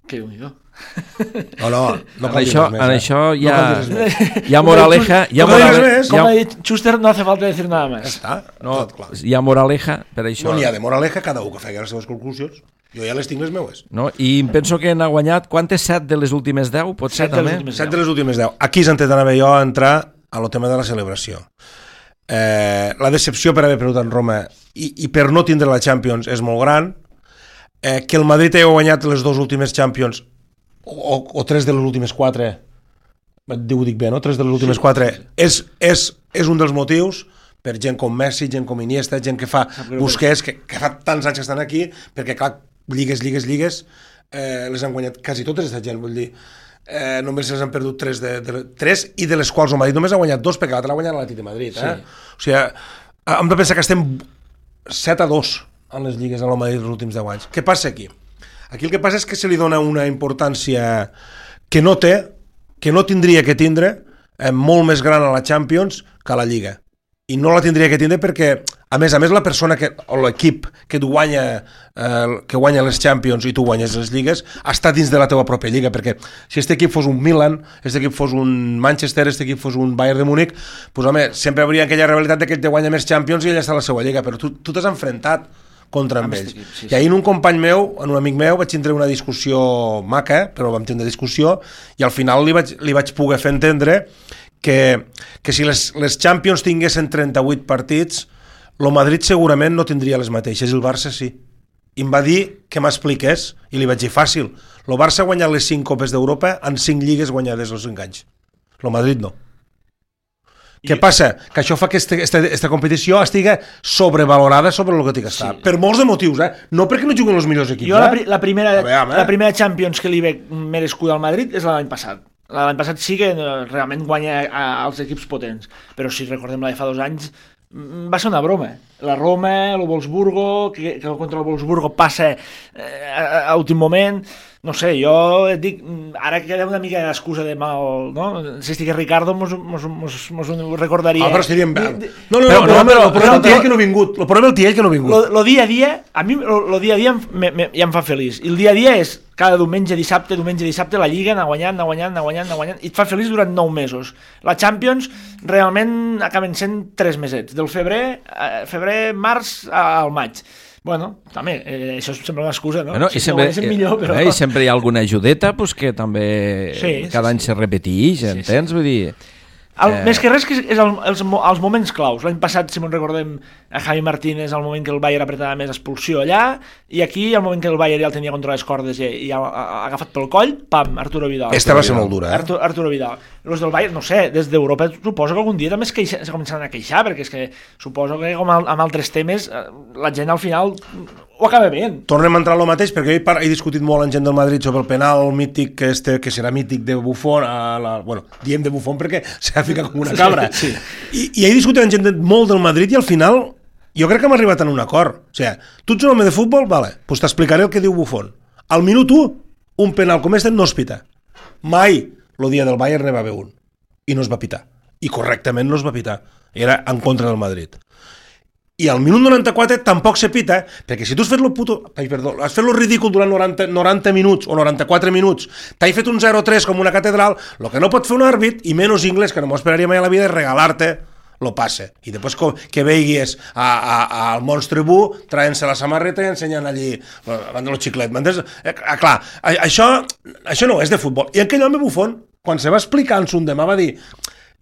Que Déu-n'hi-do. No en això hi ha no moraleja, com ha dit Schuster, no hace falta decir nada más. Hi ha moraleja per això. No n'hi ha de moraleja, cada un que faci les seves conclusions. Jo ja les tinc les meues. No? I penso que n'ha guanyat, quantes? 7 de les últimes 10? Pot ser també? 7 de les últimes 10. Aquí és on anava jo a entrar a lo tema de la celebració. La decepció per haver perdut en Roma i per no tindre la Champions és molt gran. Que el Madrid hagi guanyat les 2 últimes Champions o 3 de les últimes 4, ho dic bé, no? 3 de les últimes 4 és un dels motius per gent com Messi, gent com Iniesta, gent que fa Busquets, que fa tants anys que estan aquí, perquè clar, lligues les han guanyat quasi totes aquesta gent, vull dir, només les han perdut 3 i de les quals el Madrid només ha guanyat 2 perquè l'altre l'ha guanyat l'Atlètic de Madrid, O sigui, hem de pensar que estem 7-2 en les lligues en el Madrid els últims 10 anys. Què passa aquí? Aquí el que passa és que se li dona una importància que no té, que no tindria que tindre, molt més gran a la Champions que a la Lliga. I no la tindria que tindre perquè, a més, la persona o l'equip que guanya les Champions i tu guanyes les lligues, està dins de la teva pròpia lliga, perquè si aquest equip fos un Milan, aquest equip fos un Manchester, aquest equip fos un Bayern de Múnich, doncs home, sempre hauria aquella rivalitat que ell te guanya més Champions i ell està a la seva lliga, però tu t'has enfrontat contra amb ells. Sí. I ahir un company meu, un amic meu, vaig tindre una discussió maca, però vam tindre discussió, i al final li vaig poder fer entendre que si les Champions tinguessin 38 partits, el Madrid segurament no tindria les mateixes, i el Barça sí. I em va dir que m'expliqués, i li vaig dir fàcil, el Barça ha guanyat les 5 Copes d'Europa en 5 lligues guanyades als 5 anys. El Madrid no. Què passa? Que això fa que aquesta competició estigui sobrevalorada sobre el que té que estar. Sí. Per molts de motius, no perquè no juguen els millors equips. Jo la primera Champions que li veig merescuda al Madrid és l'any passat. L'any passat sí que realment guanya als equips potents, però si recordem la de fa 2 anys va ser una broma. La Roma, el Wolfsburgo, que contra el Wolfsburgo passa a últim moment. No sé, jo et dic, ara que queda una mica d'excusa de mal, no? Si estigués Ricardo mos ho recordaria. Però estaríem bé. No, el problema el tiell que no ha vingut. El problema el tiell que no ha vingut. El dia a dia, a mi el dia a dia ja em fa feliç. I el dia a dia és cada diumenge, dissabte, la Lliga anar guanyant, i et fa feliç durant 9 mesos. La Champions realment acaben sent 3 mesets, del febrer, març al maig. Bueno, també, això sembla una excusa, no? I sempre hi ha alguna ajudeta que també cada any se repeteix, entens? Vull dir... Més que res que és els moments claus. L'any passat, si me'n recordem, a Javi Martínez, al moment que el Bayern apretava més, expulsió allà, i aquí, al moment que el Bayern ja el tenia contra les cordes i ha agafat pel coll, pam, Arturo Vidal. Esta va ser molt dura, Arturo Vidal. Els del Bayern, no sé, des d'Europa suposo que algun dia també se començaran a queixar, perquè és que suposo que, com amb altres temes, la gent al final ho acaba veient. Tornem a entrar al mateix, perquè he discutit molt amb gent del Madrid sobre el penal mític que serà mític de Buffon, diem de Buffon perquè s'ha ficat com una cabra. Sí. I he discutit amb gent molt del Madrid i al final jo crec que hem arribat a un acord. O sigui, tu ets un home de futbol? Vale, doncs t'explicaré el que diu Buffon. Al minut 1, un penal com este no es pita. Mai el dia del Bayern ne va haver un. I no es va pitar. I correctament no es va pitar. Era en contra del Madrid. I al minut 94 tampoc se pita, perquè si tu has fet has fet lo ridícul durant 90 minuts o 94 minuts, t'has fet un 0-3 com una catedral, el que no pot fer un àrbit, i menys inglès, que no m'ho esperaria mai a la vida, és regalar-te lo passa. I després que veiguis al Monstre Bu traient-se la samarreta i ensenyant allí el xiclet. Clar, això no és de futbol. I aquell home bufón, quan se va explicar en son demà, va dir: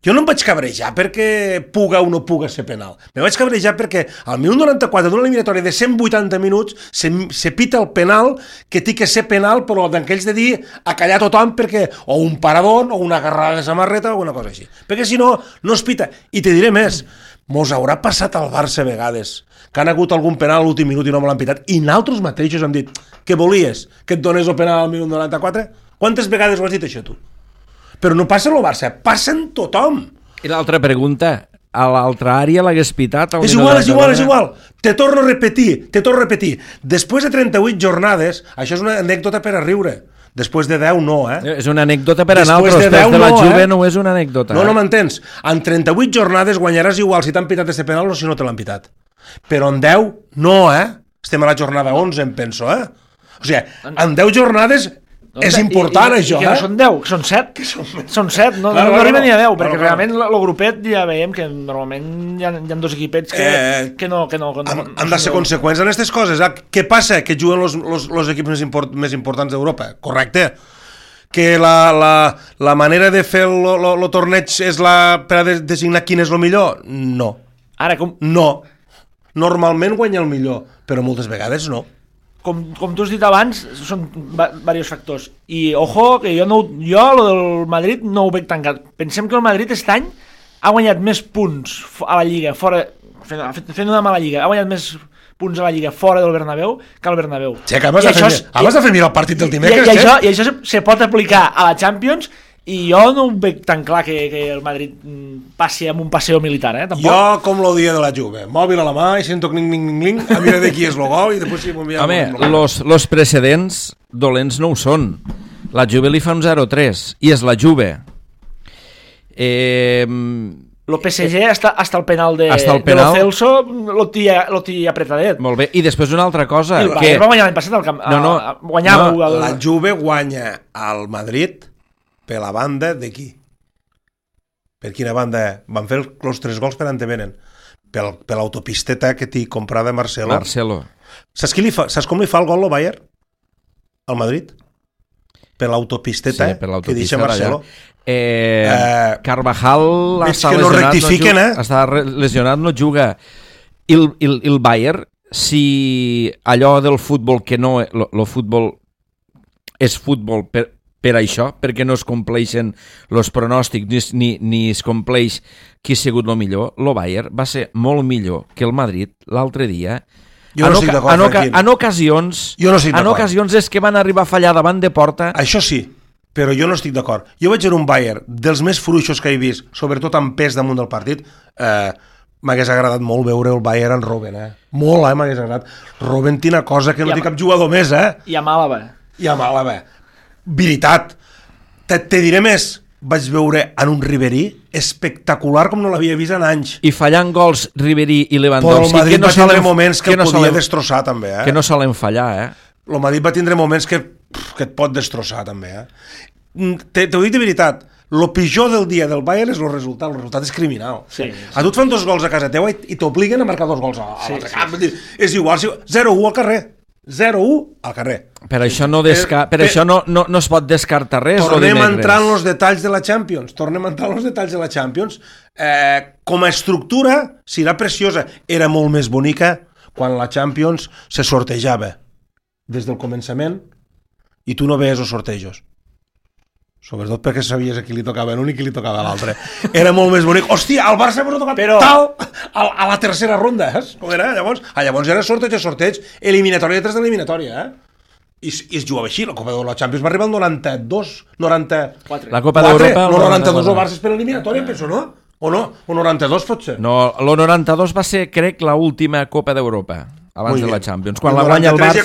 jo no em vaig cabrejar perquè puga o no puga ser penal. Me vaig cabrejar perquè al minut 94 d'una eliminatòria de 180 minuts se pita el penal que té que ser penal, però d'aquells de dir a callar tothom perquè o un paradón o una agarrada de samarreta o una cosa així. Perquè si no, no es pita. I te diré més, mos haurà passat al Barça a vegades que han hagut algun penal a l'últim minut i no me l'han pitat, i nosaltres mateixos hem dit: què volies? Que et donés el penal al minut 94? Quantes vegades ho has dit això tu? Però no passa el Barça, passa en tothom. I l'altra pregunta, a l'altra àrea l'hagués pitat? És igual. Te torno a repetir. Després de 38 jornades, això és una anècdota per a riure. Després de 10 no, És una anècdota per a nosaltres, després de la Juve no és una anècdota. No m'entens. En 38 jornades guanyaràs igual si t'han pitat este penal o si no te l'han pitat. Però en 10 no, Estem a la jornada 11, em penso, O sigui, en 10 jornades... és important, això, que no són 10, són 7. Són 7, no arriba ni a 10, perquè realment el grupet ja veiem que normalment hi ha dos equipets que no... Han de ser conseqüents en aquestes coses. Què passa? Que juguen els equips més importants d'Europa, correcte? Que la manera de fer el torneig és per a designar quin és el millor? No. Ara, com... No. Normalment guanya el millor, però moltes vegades no. Com tu has dit abans, són diversos factors. I, ojo, que jo lo del Madrid no ho veig tancat. Pensem que el Madrid aquest any ha guanyat més punts a la Lliga, fent una mala Lliga, ha guanyat més punts a la Lliga fora del Bernabéu que al Bernabéu. Sí, que abans de fer mirar el partit del dimecres. I això se pot aplicar a la Champions, i jo no ho veig tan clar que el Madrid passi amb un passeo militar, tampoc. Jo, com el dia de la Juve, mòbil a la mà i sento cling, a mirar de qui és el gol i després... Home, los precedents dolents no ho són. La Juve li fa un 0-3 i és la Juve. El PSG hasta el penal de Lo Celso lo té apretadet. Molt bé, i després una altra cosa. Va guanyar l'any passat al camp. La Juve guanya al Madrid per la banda d'aquí. Per quina banda? Van fer els 3 gols per on te venen. Per l'autopisteta que t'hi comprada Marcelo. Saps com li fa el gol el Bayern? Al Madrid? Per l'autopisteta que deixa Marcelo. Carvajal està lesionat, no juga. I el Bayern, si allò del futbol que no... El futbol és futbol per això, perquè no es compleixen els pronòstics ni es compleix qui ha sigut el millor, el Bayern va ser molt millor que el Madrid l'altre dia. Jo no estic d'acord, en ocasions és que van arribar a fallar davant de porta. Això sí, però jo no estic d'acord. Jo vaig veure un Bayern dels més fluixos que he vist, sobretot amb pes damunt del partit. M'hagués agradat molt veure el Bayern en Robben, molt, m'hagués agradat. Robben té una cosa que no té cap jugador més, I a Màlaga. Veritat. Te diré més, vaig veure en un Ribery espectacular com no l'havia vist en anys. I fallant gols Ribery i Lewandowski, però el Madrid va tindre moments que el podia destrossar també. Que no solen fallar, El Madrid va tindre moments que et pot destrossar també. T'ho dic de veritat, el pitjor del dia del Bayern és el resultat és criminal. A tu et fan 2 gols a casa teua i t'obliguen a marcar 2 gols a l'altre camp. És igual, 0-1 al carrer. 0-1 al carrer. Per això no es pot descartar res. Tornem a entrar en els detalls de la Champions. Com a estructura serà preciosa. Era molt més bonica quan la Champions se sortejava des del començament i tu no veies els sortejos. Sobretot perquè sabies a qui li tocava l'un i qui li tocava l'altre. Era molt més bonic. Hòstia, el Barça m'ha tocat tal a la tercera ronda, com era? Llavors era sorteig, eliminatòria detrás d'eliminatòria, I es jugava així. La Copa de la Champions va arribar al 94. La Copa d'Europa... No, 92 el Barça és per eliminatòria, penso, no? O no? O 92 pot ser? No, el 92 va ser, crec, l'última Copa d'Europa abans de la Champions. Quan la guanya el Barça...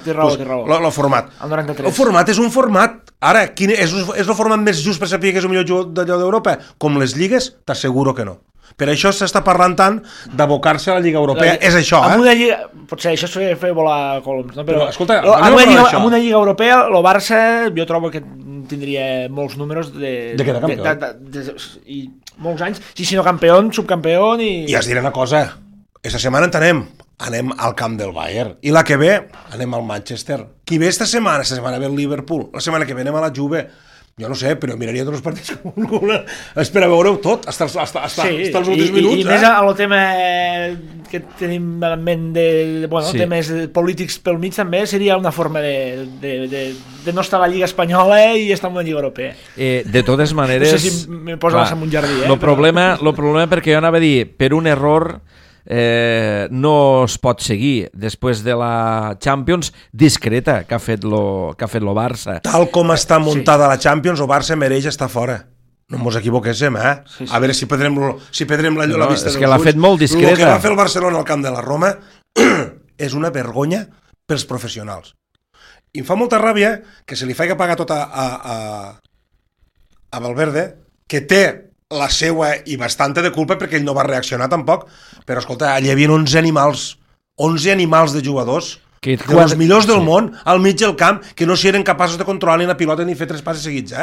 Té raó. El format. El format és un format. Ara, és el format més just per saber que és el millor jugador d'allò d'Europa? Com les lligues, t'asseguro que no. Per això s'està parlant tant d'abocar-se a la Lliga Europea. És això, Amb una lliga... Potser això és fer volar coloms, no? Però escolta, amb una lliga europea, el Barça, jo trobo que tindria molts números De quedar campió. I molts anys, si no campió, subcampió I es diré una cosa, aquesta setmana anem al camp del Bayern, i la que ve anem al Manchester. Qui ve esta setmana ve el Liverpool, la setmana que ve anem a la Juve. Jo no sé, però miraria tots els partits com una... Espera, veureu tot, fins als últims minuts. I més al tema que tenim en ment temes polítics pel mig també seria una forma de no estar a la Lliga Espanyola i estar en una Lliga Europea. De totes maneres... No sé si me posa en un jardí, El problema perquè jo anava a dir, per un error... no es pot seguir després de la Champions discreta que ha fet lo Barça. Tal com està muntada la Champions, el Barça mereix estar fora. No ens equivoquéssim, Sí. A veure si perdrem la vista és que l'ha fet molt discreta. El que va fer el Barcelona al camp de la Roma és una vergonya pels professionals. I em fa molta ràbia que se li faci pagar tot a Valverde, que té la seua i bastanta de culpa perquè ell no va reaccionar tampoc, però escolta, allà hi havia 11 animals de jugadors dels millors del món al mig del camp que no s'hi eren capaços de controlar ni la pilota ni fer 3 passes seguits,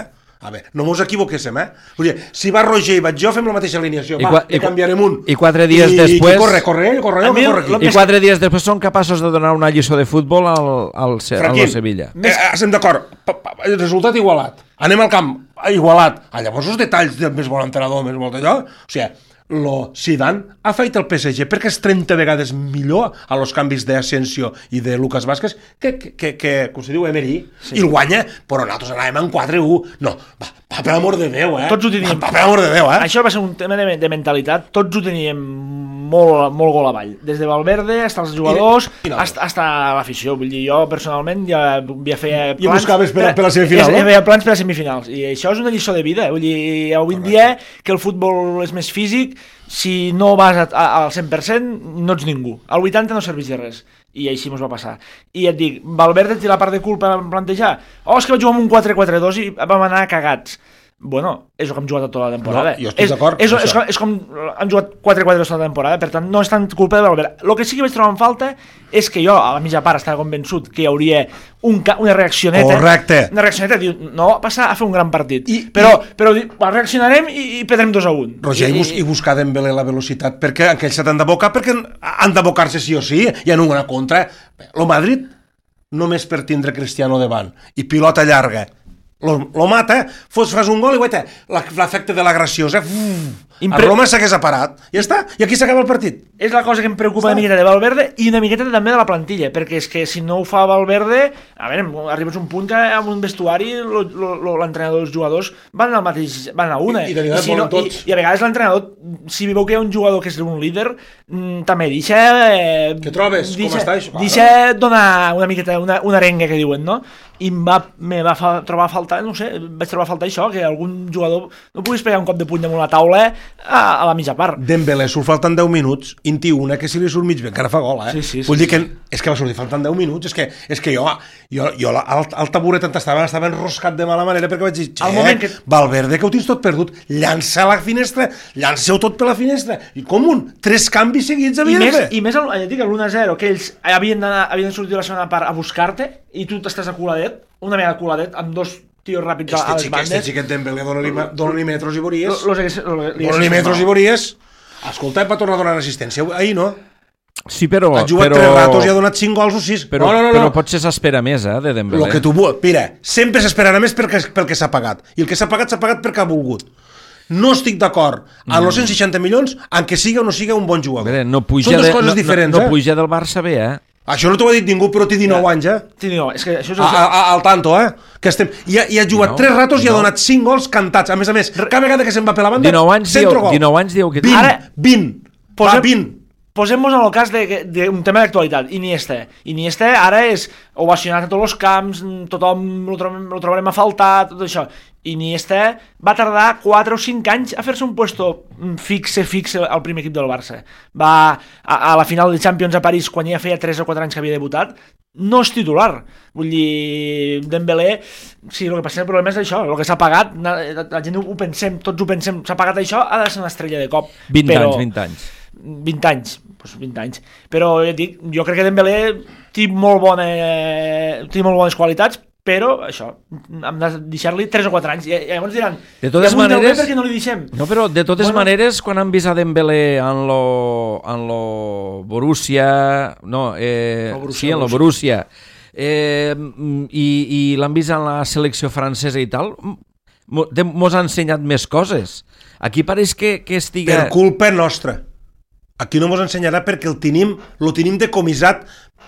A veure, no mos equivoquéssim, Vull dir, si va Roger i vaig jo, fem la mateixa alineació, i canviarem un. I 4 dies després... Corre ell, aquí. I 4 dies després són capaços de donar una lliçó de futbol al Sevilla. Estem d'acord, resultat igualat. Anem al camp, igualat. Llavors els detalls del més bon entrenador, més bon allò, o sigui, Zidane ha fet el PSG perquè és 30 vegades millor a los canvis d'Asensio i de Lucas Vázquez que com se diu, Emery, i el guanya, però nosaltres anàvem en 4-1. No, va, per amor de Déu, Tots ho teníem. Per amor de Déu, Això va ser un tema de mentalitat, tots ho teníem molt gol avall. Des de Valverde, fins als jugadors, fins a l'afició. Vull dir, jo personalment ja feia plans... I buscaves per la semifinal, no? Feia plans per a semifinals. I això és una lliçó de vida. Vull dir, avui en dia, que el futbol és més físic, si no vas al 100% no ets ningú, al 80% no serveix de res, i així mos va passar. I et dic, Valverde té la part de culpa en plantejar, és que vaig jugar amb un 4-4-2 i vam anar cagats. Bueno, és el que hem jugat tota la temporada. No, jo estic d'acord. És com hem jugat 4-4 tota la temporada, per tant no és tant culpa de Valverde. El que sí que vaig trobar en falta és que jo a la mitja part estava convençut que hi hauria una reaccioneta. Correcte. Una reaccioneta, diu, no va passar a fer un gran partit. Però reaccionarem i perdrem 2-1. Roger, i buscar Dembélé la velocitat, perquè aquells s'han d'abocar, perquè han d'abocar-se sí o sí, i en una contra. El Madrid, només per tindre Cristiano davant, i pilota llarga, lo mata, fas un gol i guaita, l'efecte de l'agressió, a Roma s'hagués aparat, ja està, i aquí s'acaba el partit. És la cosa que em preocupa una miqueta de Valverde i una miqueta també de la plantilla, perquè és que si no ho fa Valverde, a veure, arribes a un punt que amb un vestuari l'entrenador i els jugadors van a una. I a vegades l'entrenador, si veu que hi ha un jugador que és un líder, també deixa... Què trobes? Com està això? Deixa donar una miqueta, una arenga que diuen, no? I me va trobar a faltar, no sé, vaig trobar a faltar això, que algun jugador no puguis pegar un cop de puny damunt la taula a la mitja part. Dembélé surt faltant 10 minuts, inti una que si li surt mig bé, encara fa gol, Sí. Vull dir que és que va sortir faltant 10 minuts, és que jo al taburet estava enroscat de mala manera perquè vaig dir, Valverde, que ho tens tot perdut, llança a la finestra, llanceu tot per la finestra, i com 3 canvis seguits havia de fer. I més, ja dic, l'1-0, que ells havien de sortir la segona part a buscar-te, i tu t'estàs a coladet, una mega coladet, amb 2 tios ràpids a les bandes. Este xiquet Dembélé dona-li metros i veuries. Dona-li metros i veuries. Escolta, va tornar a donar assistència. Ahir no. Sí, però... Ha jugat 3 ratos i ha donat 5 gols o 6. Però potser s'espera més, de Dembélé. Lo que tu vull. Mira, sempre s'esperarà més pel que s'ha pagat. I el que s'ha pagat perquè ha volgut. No estic d'acord amb els 160 milions en què siga o no siga un bon jugador. No puja Són dues coses diferents, no puja del Barça bé, Això no t'ho ha dit ningú, però té 19 anys, és que això és... Al tanto, que estem... I ha jugat 3 ratos i ha donat 5 gols cantats. A més, cada vegada que se'n va per la banda, 19 anys diu que... 20. Posem-nos en el cas d'un tema d'actualitat, Iniesta ara és ovacionat a tots els camps, tothom lo trobarem a faltar, tot això. Iniesta va tardar 4 o 5 anys a fer-se un puesto fixe al primer equip del Barça. Va a la final de Champions a París, quan ja feia 3 o 4 anys que havia debutat, no és titular. Vull dir, Dembélé, sí, el que passa, el problema és això, el que s'ha pagat, la gent ho pensem, tots ho pensem, s'ha pagat això, ha de ser una estrella de cop. 20 anys. 20 anys, però ja dic, jo crec que Dembélé té molt bones qualitats, però això, hem de deixar-li 3 o 4 anys. I llavors diran, de totes ja maneres, per què no li deixem? No, però de totes maneres, quan han vist a Dembélé en lo Borussia, no, sí, en lo Borussia, i l'han vist en la selecció francesa i tal, mos ha ensenyat més coses. Aquí pareix que estiga... Per culpa nostra. Aquí no mos ensenyarà perquè lo tenim decomissat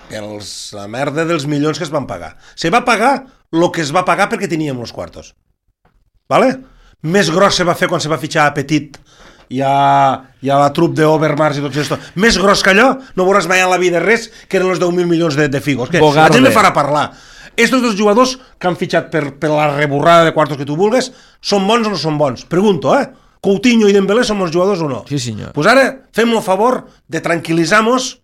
per la merda dels milions que es van pagar. Se va pagar el que es va pagar perquè teníem los quartos. Vale? Més gros se va fer quan se va fitxar a Petit i a la trup d'Overmars i tot això. Més gros que allò no veuràs mai en la vida res que eren els 10.000 milions de figos. Que la gent me farà parlar. Estos dos jugadors que han fitxat per la reborrada de quartos que tu vulgues són bons o no són bons? Pregunto, Coutinho i Dembélé són bons jugadors o no? Sí, senyor. Pues ara fem el favor de tranquil·litzar-nos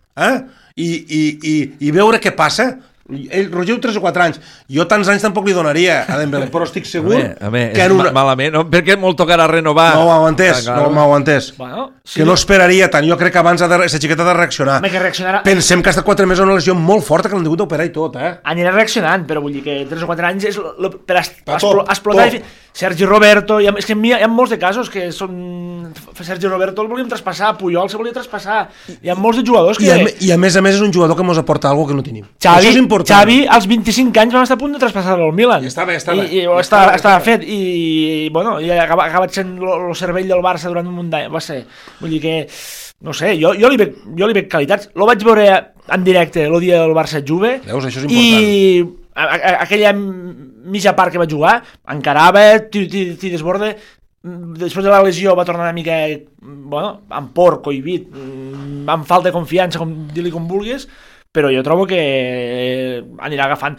i veure què passa. Ell, Roger, 3 o 4 anys. Jo tants anys tampoc li donaria a Dembélé, però estic segur que malament, no? Perquè molt tocarà renovar. No m'ho heu entès. Bueno, sí, que no esperaria tant. Jo crec que abans aquesta xiqueta ha de reaccionar. Pensem que ha estat 4 mesos una lesió molt forta que l'han hagut d'operar i tot, Anirà reaccionant, però vull dir que 3 o 4 anys és per explotar. Sergi Roberto, és que hi ha molts de casos que són... Sergi Roberto el volíem traspassar, Puyol se volia traspassar, hi ha molts de jugadors que... I a més és un jugador que ens aporta alguna que no tenim. Això és important. Xavi, als 25 anys vam estar a punt de traspassar-lo al Milan. I està bé. Estava fet, i bueno, ha acabat sent el cervell del Barça durant un munt d'anys, va ser... Vull dir que... No sé, jo li veig qualitats. Lo vaig veure en directe el dia del Barça-Juve. Veus, això és important. I aquella mitja part que va jugar, encarava, tiri desborde, després de la lesió va tornar una mica, bueno, amb por, cohibit, amb falta de confiança, dir-li com vulguis, però jo trobo que anirà agafant.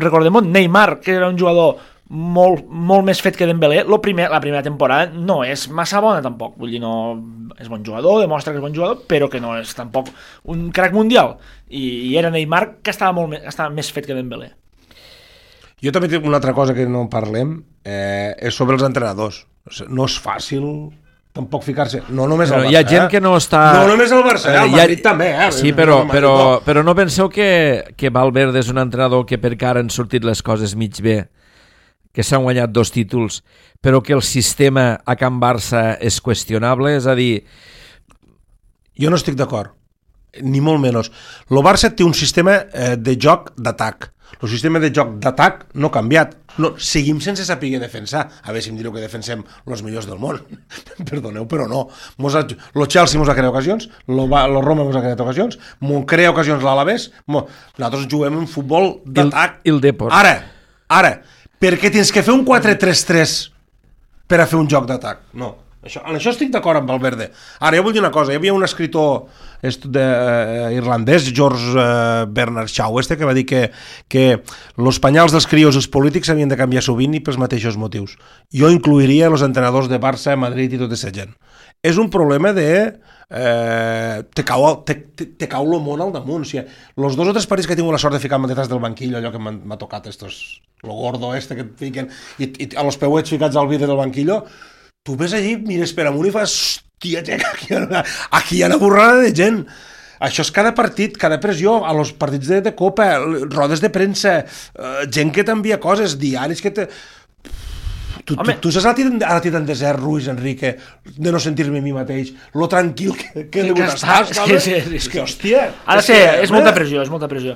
Recordem Neymar, que era un jugador molt més fet que Dembélé, la primera temporada no és massa bona tampoc, vull dir, no és bon jugador, demostra que és bon jugador, però que no és tampoc un crack mundial, i era Neymar que estava més fet que Dembélé. Jo també tinc una altra cosa que no parlem, és sobre els entrenadors. No és fàcil tampoc ficar-se, no només al Barça. Hi ha gent que no està... No només al Barça, al Madrid també. Sí, però no penseu que Valverde és un entrenador que per cara han sortit les coses mig bé, que s'han guanyat 2 títols, però que el sistema a Can Barça és qüestionable, és a dir... Jo no estic d'acord, ni molt menys. El Barça té un sistema de joc d'atac. El sistema de joc d'atac no ha canviat. No, seguim sense saber defensar. A veure si em direu que defensem els millors del món. Perdoneu, però no. El Chelsea mos ha creat ocasions, el Roma mos ha creat ocasions, mos crea ocasions l'Alavés. Nosaltres juguem en futbol d'atac. I el Depor. Ara, per què tens que fer un 4-3-3 per a fer un joc d'atac? No. En això estic d'acord amb Valverde. Ara, jo vull dir una cosa. Hi havia un escritor irlandès, George Bernard Shaw, que va dir que els penyals dels crios i els polítics havien de canviar sovint i pels mateixos motius. Jo incluiria els entrenadors de Barça, Madrid i tota aquesta gent. És un problema de... te cau el món al damunt. O sigui, els 2 o 3 partits que he tingut la sort de ficar-me detrás del banquillo, allò que m'ha tocat lo gordo que et fiquen, i a los peuets ficats al vidre del banquillo, tu ves allí, mires per amunt i fas, hòstia, aquí hi ha una borrada de gent. Això és cada partit, cada pressió, a los partits de Copa, rodes de premsa, gent que t'envia coses, diaris que te... Tu saps a ti tan desert, Ruiz Enrique, de no sentir-me a mi mateix, lo tranquil que li estàs, sí. És que, hòstia... És molta pressió.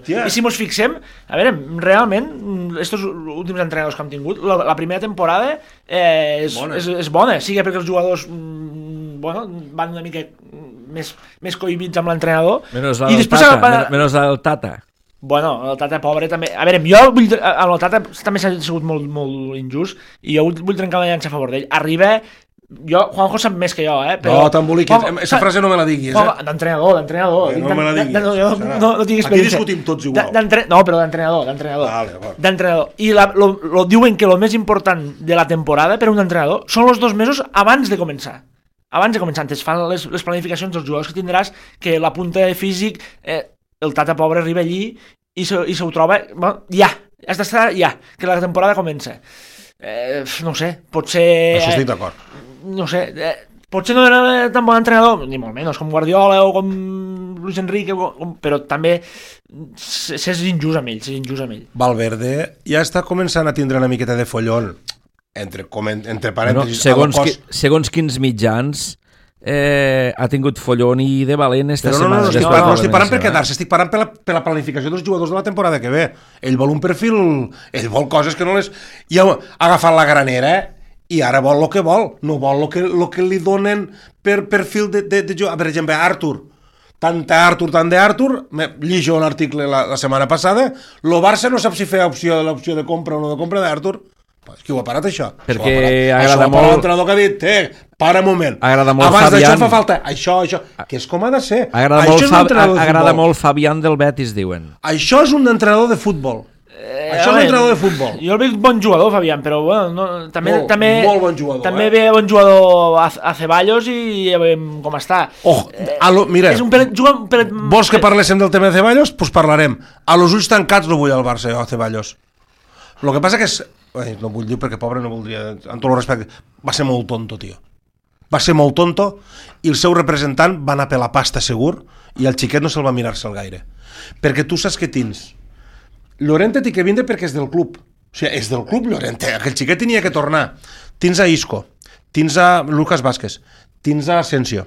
I si mos fixem, a veure, realment, estos últims entrenadors que hem tingut, la primera temporada és bona, sigui perquè els jugadors van una mica més cohibits amb l'entrenador. Menos el Tata. Bueno, el Tata pobre també... A veure, jo vull... El Tata també s'ha sigut molt injust i jo vull trencar una llança a favor d'ell. Arriba... Juanjo sap més que jo, però... No, t'emboliquis. Aquesta frase no me la diguis, D'entrenador. No me la diguis. No tinc experiència. Aquí discutim tots igual. No, però d'entrenador. Vale. D'entrenador. I diuen que el més important de la temporada per a un entrenador són els 2 mesos abans de començar. Antes fan les planificacions dels jugadors que tindràs, que la punta de físic... El Tata pobre arriba allí i se ho troba, has d'estar que la temporada comença. No sé, potser... Això estic d'acord. No sé, potser no era tan bon entrenador, ni molt menys, com Guardiola o com Luis Enrique, però també s'és injust amb ell, Valverde ja està començant a tindre una miqueta de follon, entre parèntesis. Segons quins mitjans ha tingut follon i de valent esta setmana. No estic parlant per quedar-se, estic parlant per la planificació dels jugadors de la temporada que ve. Ell vol un perfil, ell vol coses que no les... Ja ha agafat la granera i ara vol el que vol, no vol el que li donen per perfil de jugador. Per exemple, Artur, tant d'Artur, llijo un article la setmana passada, el Barça no sap si fer l'opció de compra o no de compra d'Artur. Qui ho ha parat, això? Perquè agrada molt... l'entrenador que ha dit, para un moment. Agrada molt abans Fabián. D'això fa falta això, que és com ha de ser. Agrada molt Fabián del Betis, diuen. Això és un entrenador de futbol. Això és un entrenador de futbol. Jo el veig bon jugador, Fabián, però bueno, també molt bon jugador. També ve bon jugador a Ceballos i ja veiem com està. Mira, vols que parléssim del tema de Ceballos? Doncs parlarem. A los ulls tancats no vull al Barça, a Ceballos. El que passa que és... no vull dir perquè pobre no voldria, amb tot el respecte, va ser molt tonto, tio. Va ser molt tonto i el seu representant va anar per la pasta segur i el xiquet no se'l va mirar-se'l gaire. Perquè tu saps que tens Llorente té que vindre perquè és del club. O sigui, és del club Llorente, aquell xiquet tenia que tornar. Tens a Isco, tens a Lucas Vázquez, tens a Asensio,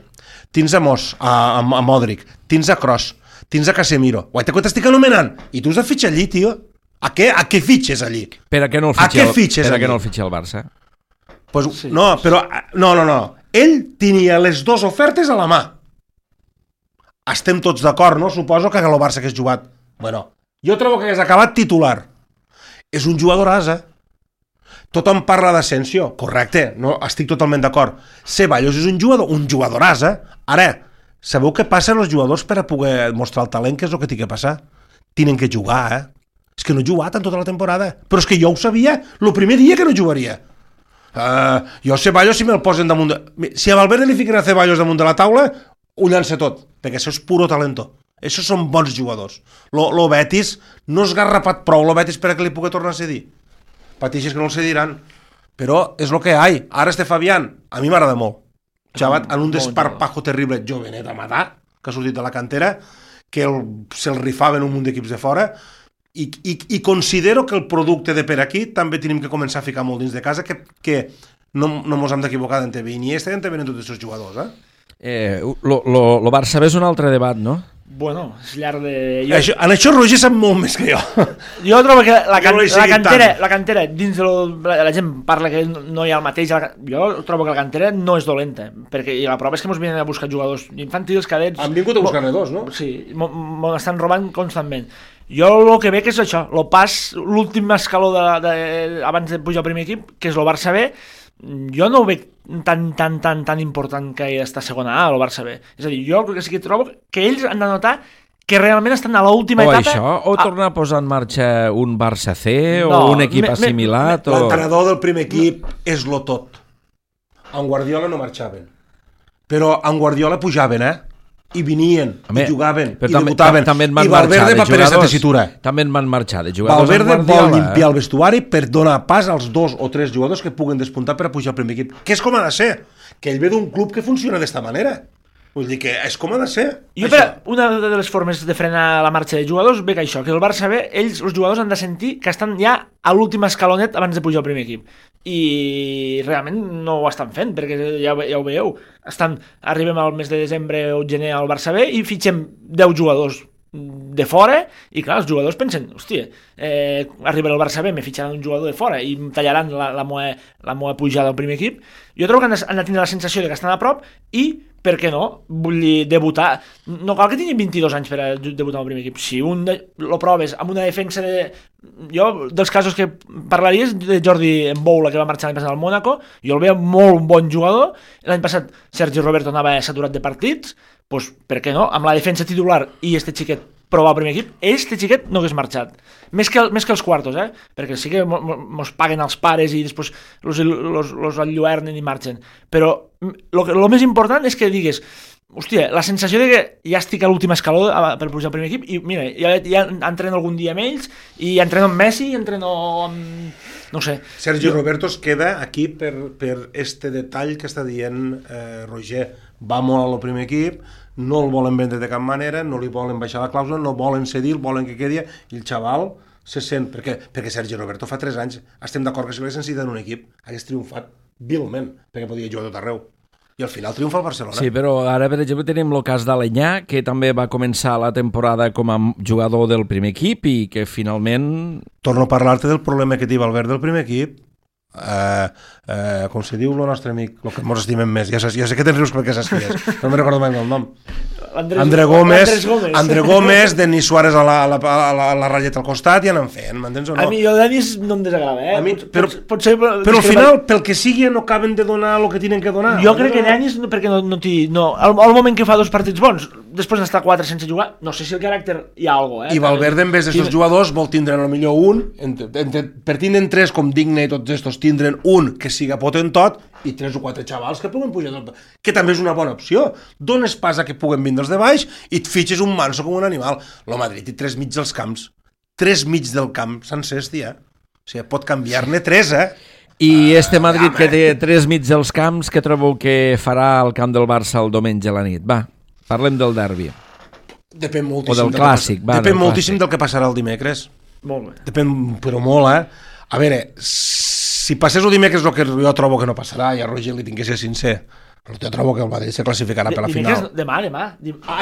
tens a Mos, a Modric, tens a Kroos, tens a Casemiro. Guaita, que t'estic anomenant? I tu has de fitxar allí, tio. A què fitxes allí? Per a què no el fitxa el Barça? Pues, sí. No. Ell tenia les dues ofertes a la mà. Estem tots d'acord, no? Suposo que el Barça hagués jugat. Bueno, jo trobo que hagués acabat titular. És un jugador asa. Tothom parla d'Asensio. Correcte, no, estic totalment d'acord. Ceballos és un jugador asa. Ara, sabeu què passa als jugadors per a poder mostrar el talent? Què és el que té que passar? Tenen que jugar, És que no he jugat en tota la temporada. Però és que jo ho sabia el primer dia que no jugaria. Jo Ceballos, si me'l posen damunt... Si a Valverde li fiquen a Ceballos damunt de la taula, ho llança tot, perquè això és puro talento. Això són bons jugadors. Lo Betis no és garrapat prou, lo Betis per a que li pugui tornar a cedir. Patixes que no el cediran. Però és el que hi ha. Ara este Fabián, a mi m'agrada molt. Xavat, en un desparpajo terrible, jovenet a matar, que ha sortit de la cantera, que se'l rifaven un munt d'equips de fora, i considero que el producte de per aquí també tenim que començar a ficar molt dins de casa, que no mos hem d'equivocar d'en TV Iniesta i en TV en tots aquests jugadors. Lo Barça és un altre debat, no? Bueno, és llarg de... En això Roger sap molt més que jo. Jo trobo que la cantera dins de la gent parla que no hi ha el mateix. Jo trobo que la cantera no és dolenta, perquè la prova és que ens venen a buscar jugadors infantils, cadets... Han vingut a buscar-ne dos, no? Sí, m'estan robant constantment. Jo el que veig és això, l'últim escaló abans de pujar al primer equip, que és el Barça B, jo no ho veig tan important que està a segona A, el Barça B. És a dir, jo crec que sí que trobo que ells han de notar que realment estan a l'última etapa... O tornar a posar en marxa un Barça C o un equip assimilat... L'entrenador del primer equip és lo tot. En Guardiola no marxaven, però en Guardiola pujaven, i venien, i jugaven, i debutaven, i Valverde va per aquesta tessitura. També en van marxar de jugadors. Valverde vol limpiar el vestuari per donar pas als 2 o 3 jugadors que puguen despuntar per a pujar al primer equip, que és com ha de ser, que ell ve d'un club que funciona d'esta manera. Vull dir que és com ha de ser. Una de les formes de frenar la marxa de jugadors ve que això, que el Barça B, ells, els jugadors, han de sentir que estan ja a l'últim escalonet abans de pujar al primer equip. I realment no ho estan fent, perquè ja ho veieu. Arribem al mes de desembre o gener al Barça B i fitxem 10 jugadors de fora, i clar, els jugadors pensen, hòstia, arribarà el Barça B, me fitxaran un jugador de fora i em tallaran la meua pujada al primer equip. Jo trobo que han de tenir la sensació de que estan a prop i, per què no, vull dir, debutar. No cal que tingui 22 anys per a debutar al primer equip. Si lo proves amb una defensa de... Jo, dels casos que parlaria és de Jordi Mboula, que va marxar l'any passat al Mónaco. Jo el veia molt bon jugador. L'any passat Sergi Roberto anava saturat de partits. Doncs, per què no? Amb la defensa titular i este xiquet provar el primer equip, este xiquet no hagués marxat. Més que els quartos, perquè sí que mos paguen els pares i després los enlluernen i marxen. Però el més important és que digues, hòstia, la sensació de que ja estic a l'últim escaló per pujar al primer equip i mira, ja entreno algun dia amb ells i entreno amb Messi, entreno amb... No sé. Sergi Roberto es queda aquí per este detall que està dient Roger. Va molt al primer equip, no el volen vendre de cap manera, no li volen baixar la clàusula, no volen cedir, volen que quedi, i el xaval se sent, perquè Sergi Roberto fa 3 anys, estem d'acord que si l'hagués necessitat en un equip, hagués triomfat vilment, perquè podia jugar tot arreu. I al final triomfa el Barcelona. Sí, però ara, per exemple, tenim el cas d'Alenyà, que també va començar la temporada com a jugador del primer equip i que finalment... Torno a parlar-te del problema que té Valverde del primer equip. Com se diu el nostre amic, el que ens estimem més, ja sé que tens rius perquè saps qui és, no me'n recordo mai el nom. André Gómez, Denis Suárez a la ratlleta al costat i anem fent, m'entens o no? A mi el Denis no em desagrada, però al final, pel que sigui, no acaben de donar el que tenen que donar. Jo crec que Denis, perquè al moment que fa 2 partits bons, després d'estar 4 sense jugar, no sé si el caràcter hi ha alguna cosa. I Valverde, en vez d'aquests jugadors, vol tindre millor un, per tindre'n 3 com Digne i tots estos, tindre'n un que siga potentot i 3 o 4 xavals que puguen pujar, que també és una bona opció. Dones pas a que puguen vindre els de baix i et fitxes un manso com un animal. El Madrid té 3 mig dels camps. 3 mig del camp sencers, tia. O sigui, pot canviar-ne 3, I este Madrid que té 3 mig dels camps, que trobeu que farà al camp del Barça el diumenge a la nit? Va, parlem del derbi. Depèn moltíssim. O del clàssic. Depèn moltíssim del que passarà el dimecres. Molt bé. Depèn, però molt, A veure, si passés el dimecres el que jo trobo que no passarà, i a Roger li tinc que ser sincer, jo trobo que el Madrid se classificarà per la final. Demà.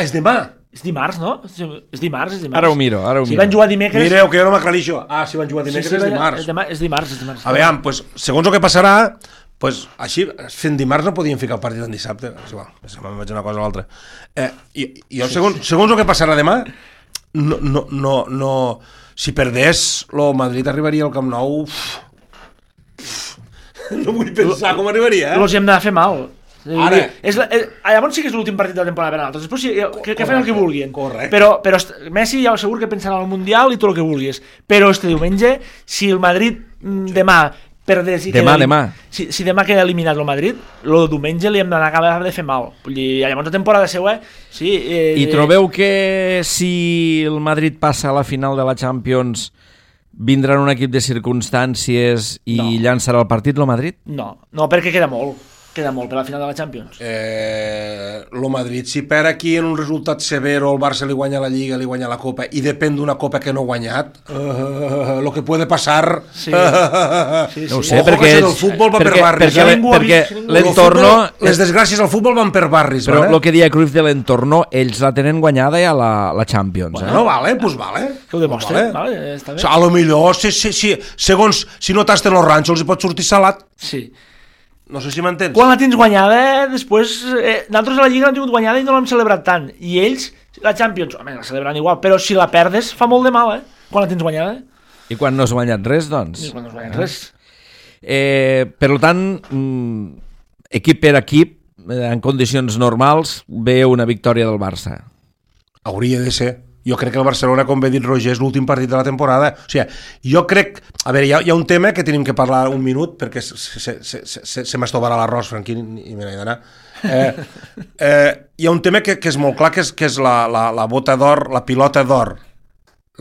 És demà? És dimarts, no? És dimarts. Ara ho miro. Si van jugar dimecres... Mireu, que jo no m'aclareixo. Si van jugar dimecres és dimarts. És dimarts. A veure, pues, segons el que passarà, pues, així, fent dimarts no podien ficar el partit en dissabte. És igual, me'n vaig una cosa o l'altra. Jo, segons el que passarà demà, no... Si perdés, el Madrid arribaria al Camp Nou... No vull pensar com arribaria, Els hem de fer mal. Ara. Llavors sí que és l'últim partit de la temporada per a nosaltres. Després que fan el que vulguin. Correcte. Però Messi ja segur que pensarà al Mundial i tot el que vulguis. Però este diumenge, si el Madrid demà perdés i demà. Si demà queda eliminat el Madrid, el diumenge li hem d'acabar de fer mal. Llavors la temporada següent... Sí, I trobeu que si el Madrid passa a la final de la Champions vindrà un equip de circumstàncies i llançarà el partit, el Madrid? No, perquè queda molt per la final de la Champions. El Madrid, si perd aquí en un resultat severo, el Barça li guanya la Lliga, li guanya la Copa, i depèn d'una Copa que no ha guanyat, lo que puede passar... Sí. No ho sé, Ojo, perquè... el futbol va per barris. Perquè l'entorno... Les desgràcies al futbol van per barris. Però el que deia Cruyff de l'entorno, ells la tenen guanyada ja la Champions. Bueno, vale, pues vale. Que ho demostren, vale, està bé. A lo millor, segons, si no tasten els ranxos, els pot sortir salat. Sí. No sé si m'entens. Quan la tens guanyada, després... nosaltres a la Lliga l'hem tingut guanyada i no l'hem celebrat tant. I ells, la Champions, home, la celebran igual, però si la perdes fa molt de mal, quan la tens guanyada. I quan no has guanyat res, doncs? I quan no has guanyat res. Per tant, equip per equip, en condicions normals, ve una victòria del Barça. Hauria de ser. Jo crec que el Barcelona, com bé dit Roger, és l'últim partit de la temporada. O sigui, jo crec... A veure, hi ha un tema que tenim que parlar un minut, perquè se m'estovarà l'arròs, Franquín, i me n'he d'anar. Hi ha un tema que és molt clar, que és la bota d'or, la pilota d'or.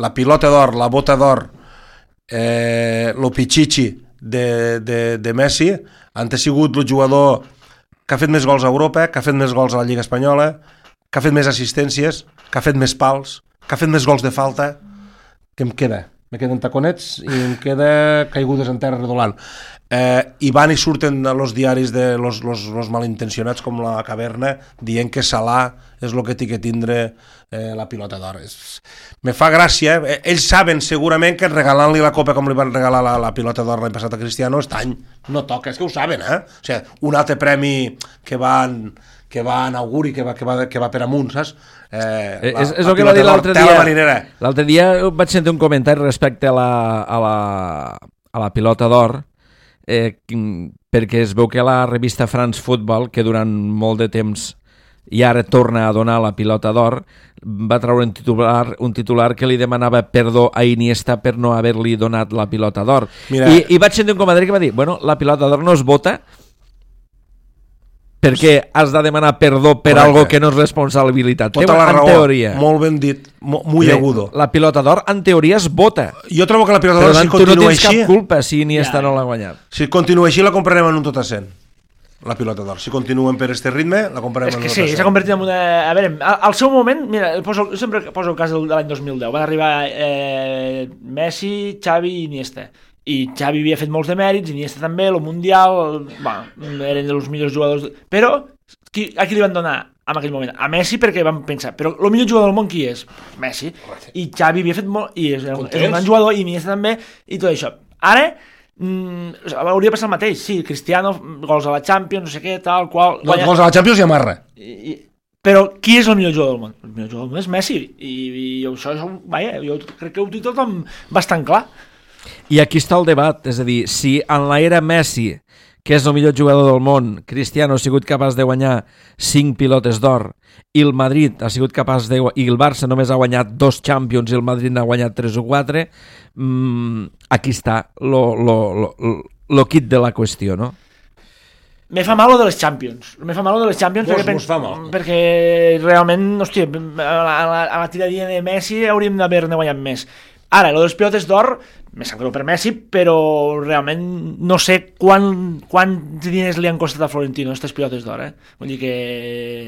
La pilota d'or, la bota d'or, lo pichichi de Messi, han sigut el jugador que ha fet més gols a Europa, que ha fet més gols a la Lliga Espanyola, que ha fet més assistències, que ha fet més pals, que ha fet més gols de falta. Què em queda? Me queden taconets i em queda caigudes en terra redolant. I van i surten els diaris de los malintencionats com la Caverna dient que Salah és el que té que tindre la pilota d'or. Me fa gràcia. Ells saben segurament que regalant-li la Copa com li van regalar la pilota d'or l'any passat a Cristiano, aquest any no toca. És que ho saben, O sigui, un altre premi que va en auguri, que va per amunt, saps? És el que va dir l'altre dia. L'altre dia vaig sentir un comentari respecte a la pilota d'or, perquè es veu que la revista France Football, que durant molt de temps i ara torna a donar la pilota d'or, va treure un titular que li demanava perdó a Iniesta per no haver-li donat la pilota d'or. I vaig sentir un comentari que va dir, bueno, la pilota d'or no es vota perquè has de demanar perdó per algo que no és responsabilitat teva, en teoria. Molt ben dit, molt agudo. La pilota d'or, en teoria, es vota. Jo trobo que la pilota d'or, si continua així... tu no tens cap culpa si Iniesta no l'ha guanyat. Si continua així, la comprarem en un tot a 100. la pilota d'or. Si continuen per este ritme, la comprarem. És que sí, s'ha convertit en una... A veure, al seu moment, mira, sempre poso el cas de l'any 2010, van arribar Messi, Xavi i Iniesta. I Xavi havia fet molts de mèrits, Iniesta també, el Mundial, eren dels millors jugadors... Però a qui li van donar en aquell moment? A Messi, perquè van pensar, però el millor jugador del món qui és? Messi. I Xavi havia fet molt... I és un gran jugador, i Iniesta també, i tot això. Ara, hauria de passar el mateix. Sí, Cristiano, gols a la Champions, no sé què, tal, qual... No, gols a la Champions i amarra. Però qui és el millor jugador del món? El millor jugador del món és Messi. I això, vaja, jo crec que ho té tothom bastant clar. I aquí està el debat, és a dir, si en l'era Messi, que és el millor jugador del món, Cristiano ha sigut capaç de guanyar 5 pilotes d'or, i el Madrid ha sigut capaç de... i el Barça només ha guanyat 2 Champions i el Madrid n'ha guanyat 3 o 4, aquí està lo kit de la qüestió, no? Me fa mal lo de les Champions. Me fa mal lo de les Champions perquè realment, hòstia, a la tiradilla de Messi hauríem d'haver-ne guanyat més. Ara, lo dels pilotes d'or, me sap greu per Messi, però realment no sé quants diners li han costat a Florentino aquestes pilotes d'or, Vull dir que...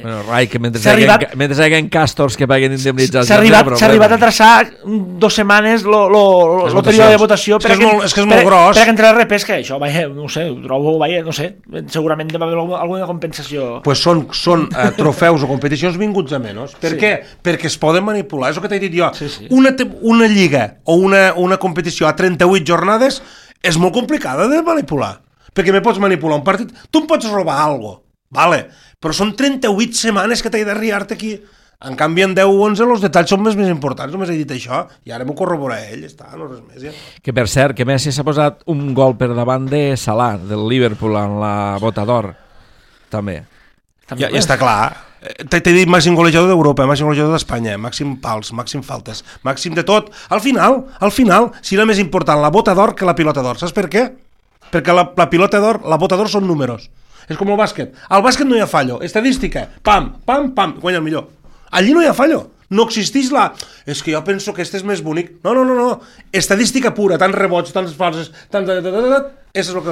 Bueno, Rai, que mentre hi haguen càstors que paguen indemnitzats... S'ha arribat a traçar 2 setmanes el període de votació és que és molt gros. Per entrar a repesca, això, no sé, ho trobo, no sé, segurament deve haver alguna compensació. Pues són trofeus o competicions vinguts a menys. Per què? Perquè es poden manipular, és el que t'he dit jo. Una lliga o una competició a 38 jornades és molt complicada de manipular, perquè me pots manipular un partit, tu em pots robar alguna cosa, vale, però són 38 setmanes que t'he de riar-te aquí. En canvi, en 10 o 11 els detalls són més importants, només he dit això, i ara m'ho corrobora ell, no res més. Ja. Que per cert, que Messi s'ha posat un gol per davant de Salah, del Liverpool, en la bota d'or, també. Ja està clar. T'he dit màxim golejador d'Europa, màxim golejador d'Espanya, màxim pals, màxim faltes, màxim de tot. Al final, serà més important la bota d'or que la pilota d'or. Saps per què? Perquè la pilota d'or, la bota d'or són números. És com el bàsquet. Al bàsquet no hi ha fallo. Estadística. Pam, pam, pam. Guanya el millor. Allí no hi ha fallo. No existeix És que jo penso que este és més bonic. No. Estadística pura, tants rebots, tants falses, és el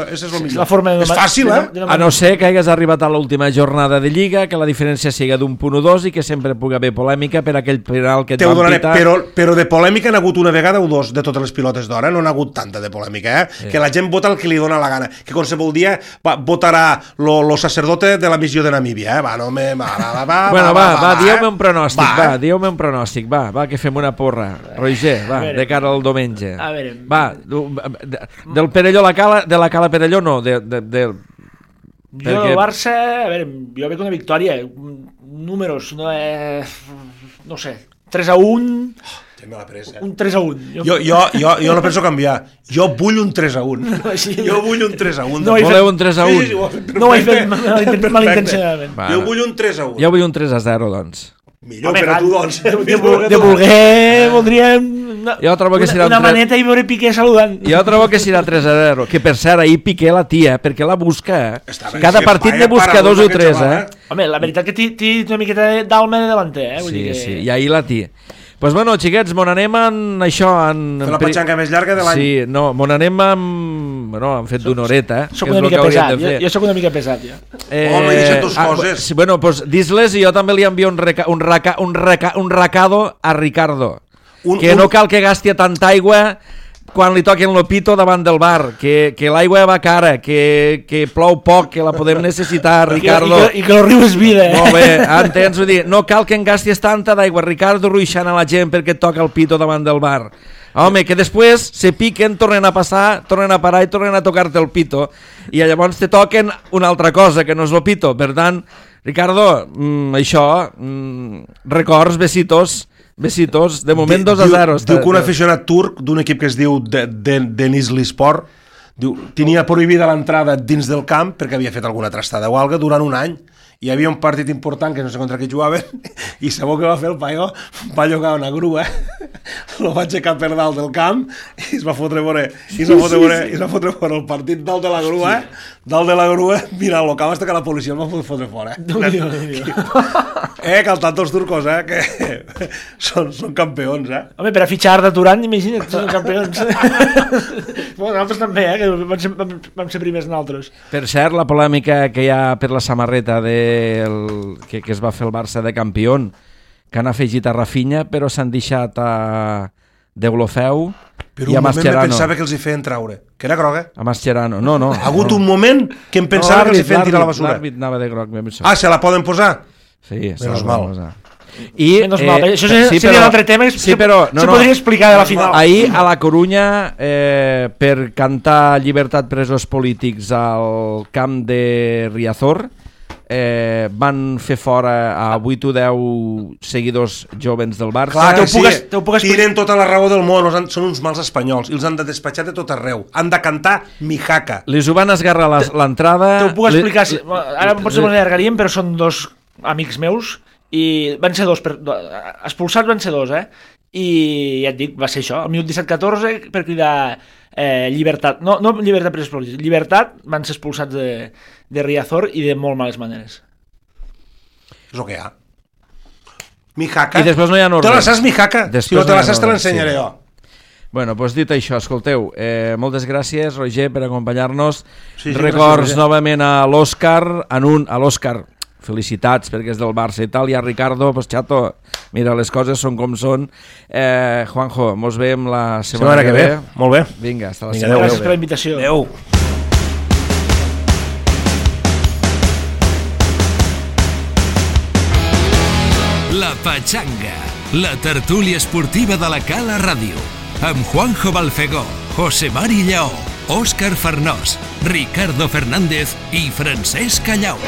millor. És fàcil, A no ser que hagués arribat a l'última jornada de Lliga, que la diferència siga d'un punt o dos i que sempre pugui haver polèmica per aquell penal que et van pitar. Però de polèmica n'ha hagut una vegada o dos de totes les pilotes d'or, no n'ha hagut tanta de polèmica, Sí. Que la gent vota el que li dona la gana, que qualsevol dia votarà lo sacerdote de la missió de Namíbia, dieu-me un pronòstic, va, que fem una porra. Roger, va, de cara al diumenge. A veure, va, del Perelló de la Cala Perelló no, jo del Barça, a veure, jo veig una victòria, números, no sé, 3-1, un 3-1. Jo no penso canviar, jo vull un 3-1. Jo vull un 3-1. Voleu un 3-1? No ho he fet malintencionadament. Jo vull un 3-1. Jo vull un 3-0, doncs. Millor per a tu, doncs. De voler, voldríem una maneta i veure Piqué saludant. Jo trobo que serà 3-0, que per cert, ahir Piqué la tia, perquè la busca, cada partit ne busca 2 o 3, Home, la veritat que té una miqueta d'alma de davanter, Sí, i ahir la tia. Pues bueno, xiquets, mon anem en això... Fer la patxanca més llarga de l'any. Sí, no, mon anem amb... Bueno, hem fet d'una horeta, Soc una mica pesat, jo soc una mica pesat, ja. Home, deixa't dos coses. Bueno, pues dis-les i jo també li envio un recado a Ricardo. Que no cal que gasti tanta aigua quan li toquen l'opito davant del bar, que l'aigua va cara, que plou poc, que la podem necessitar, Ricardo. I que el riu és vida, Molt bé, entens? Vull dir, no cal que en gastis tanta d'aigua, Ricardo, ruixant a la gent perquè et toca el pito davant del bar. Home, que després se piquen, tornen a passar, tornen a parar i tornen a tocar-te el pito. I llavors te toquen una altra cosa, que no és el pito. Per tant, Ricardo, això, records, besitos, de moment 2-0. Diu que un aficionat turc d'un equip que es diu Denizlispor tenia prohibida l'entrada dins del camp perquè havia fet alguna trastada o alga durant un any hi havia un partit important que no sé contra qui jugaven i sabeu què va fer el paio? Va llogar una grua, lo va aixecar per dalt del camp i es va fotre fora el partit dalt de la grua, mira, el camp hasta que la policia el va fotre fora. Que el tanto els turcos, que són campions, Home, per a fitxar de Turan, imagina't, són campions. Bueno, nosaltres també, que vam ser primers nosaltres. Per cert, la polèmica que hi ha per la samarreta que es va fer el Barça de campió, que han afegit a Rafinha, però s'han deixat a Deulofeu però i a un moment Mascherano. me pensava que els hi feien traure, que era groga. A Mascherano, no. Ha hagut un moment que em pensava que els hi feien tirar a la basura. L'àrbit anava de groc. Se la poden posar? Sí, menos mal. Menos mal, això seria un altre tema que podria explicar de la final. Ahir a la Corunya, per cantar llibertat presos polítics al camp de Riazor, van fer fora a 8 o 10 seguidors jovens del Barça. Clar que sí, tiren tota la raó del món, són uns mals espanyols i els han de despatxar de tot arreu, han de cantar Mijaca. Les ho van esgarrar l'entrada. T'ho puc explicar, ara potser m'ho allargaríem, però són dos amics meus i van ser expulsats van ser dos, i ja et dic, va ser això, al minut 17-14 per cridar llibertat, no llibertat presos polítics, llibertat, van ser expulsats de Riazor i de molt males maneres. És el que hi ha. Mijaca. I després no hi ha ordre. Te la saps, Mijaca? Si no te la saps te l'ensenyaré jo. Bueno, doncs dit això, escolteu, moltes gràcies, Roger, per acompanyar-nos. Records novament a l'Òscar, a l'Òscar, felicitats perquè és del Barça i tal, i a Ricardo, pues chato, mira, les coses són com són. Juanjo, mos veiem la setmana que ve. Molt bé. Vinga, hasta la setmana. Gràcies per la invitació. Adéu. La Pachanga, la tertúlia esportiva de la Cala Ràdio, amb Juanjo Balfegó, José Mari Lleó, Òscar Farnós, Ricardo Fernández i Francesc Callau.